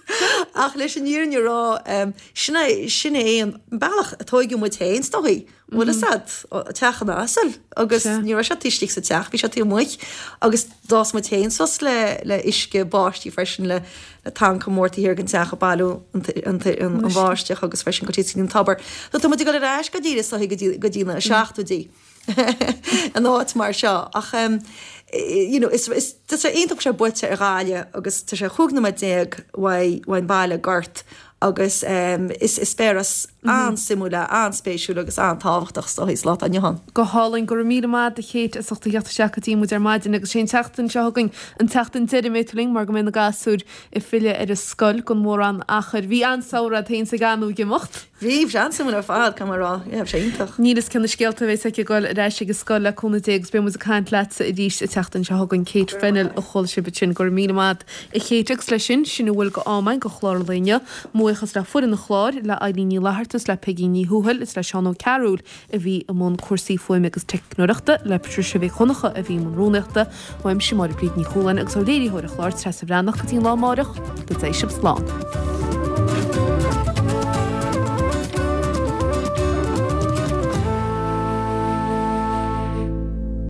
Ach leis an fhírinne a rá, sin é, sin é an bealach a tóigeadh muid féin is dóigh. Bhfuil fhios a'd, teach an asail agus ní raibh sé taobh istigh sa teach, bhí sé taobh amuigh agus d'fhás muid féin suas le le uisce báistí freisin le le tanca mór taobh thiar den teach ag bailiú an an an an bháisteach agus freisin go dtí an tobar. So tá muid ag dul ar ais go díreach is dóigh go dtí go dtí na seachtóidí in áit mar seo ach em you know is is tá sé iontach sé buailte ar Ghaillimh agus tá sé chúig nóiméad déag uaidh uaidh an baile Gort agus is eispéireas an-suimiúil é, an-spéisiúil agus an-tábhachtach is dóigh sa lá atá inniu ann. Go hálainn. Go raibh míle maith a't a Kate as ucht a theacht isteach go dtí muid ar maidin agus sé an tseachtain seo chugainn an tseachtain deiridh a mbeidh tú linn mar go mbeidh na gasúir ag filleadh ar an scoil gan mórán achair. Bhí an-samhradh a't féin 's ag Anu ag imeacht. Bhí, bhí sé an-suimiúil ar fad, caithfidh mé a rá. Yeah, bhí sé iontach. Níl fhios cé na scéalta a bheas aici ag dul ar ais ag an scoil le cúnamh Dé agus beidh muid ag caint leatsa arís an tseachtain seo chugainn. Kate Fennell a chuala sibh ansin. Go raibh míle maith a't a Kate agus leis sin, sin a bhfuil de am againn do chlár an lae inniu. Mo bhuíochas le foireann an chláir, le Eilín Ní Fhlatharta is le Peigí Ní Thuathail is le Seán Ó Cearúil a bhí i mbun cúrsaí fuaime agus teicneoireachta, le Patricia Mhic Dhonncha a bhí i mbun rúnaíochta, uaimse Máire Bríd Ní Chualáin agus ó léiritheoir an chláir Treasa Bhreathnach go dtí an lá amárach, go dté sibh slán.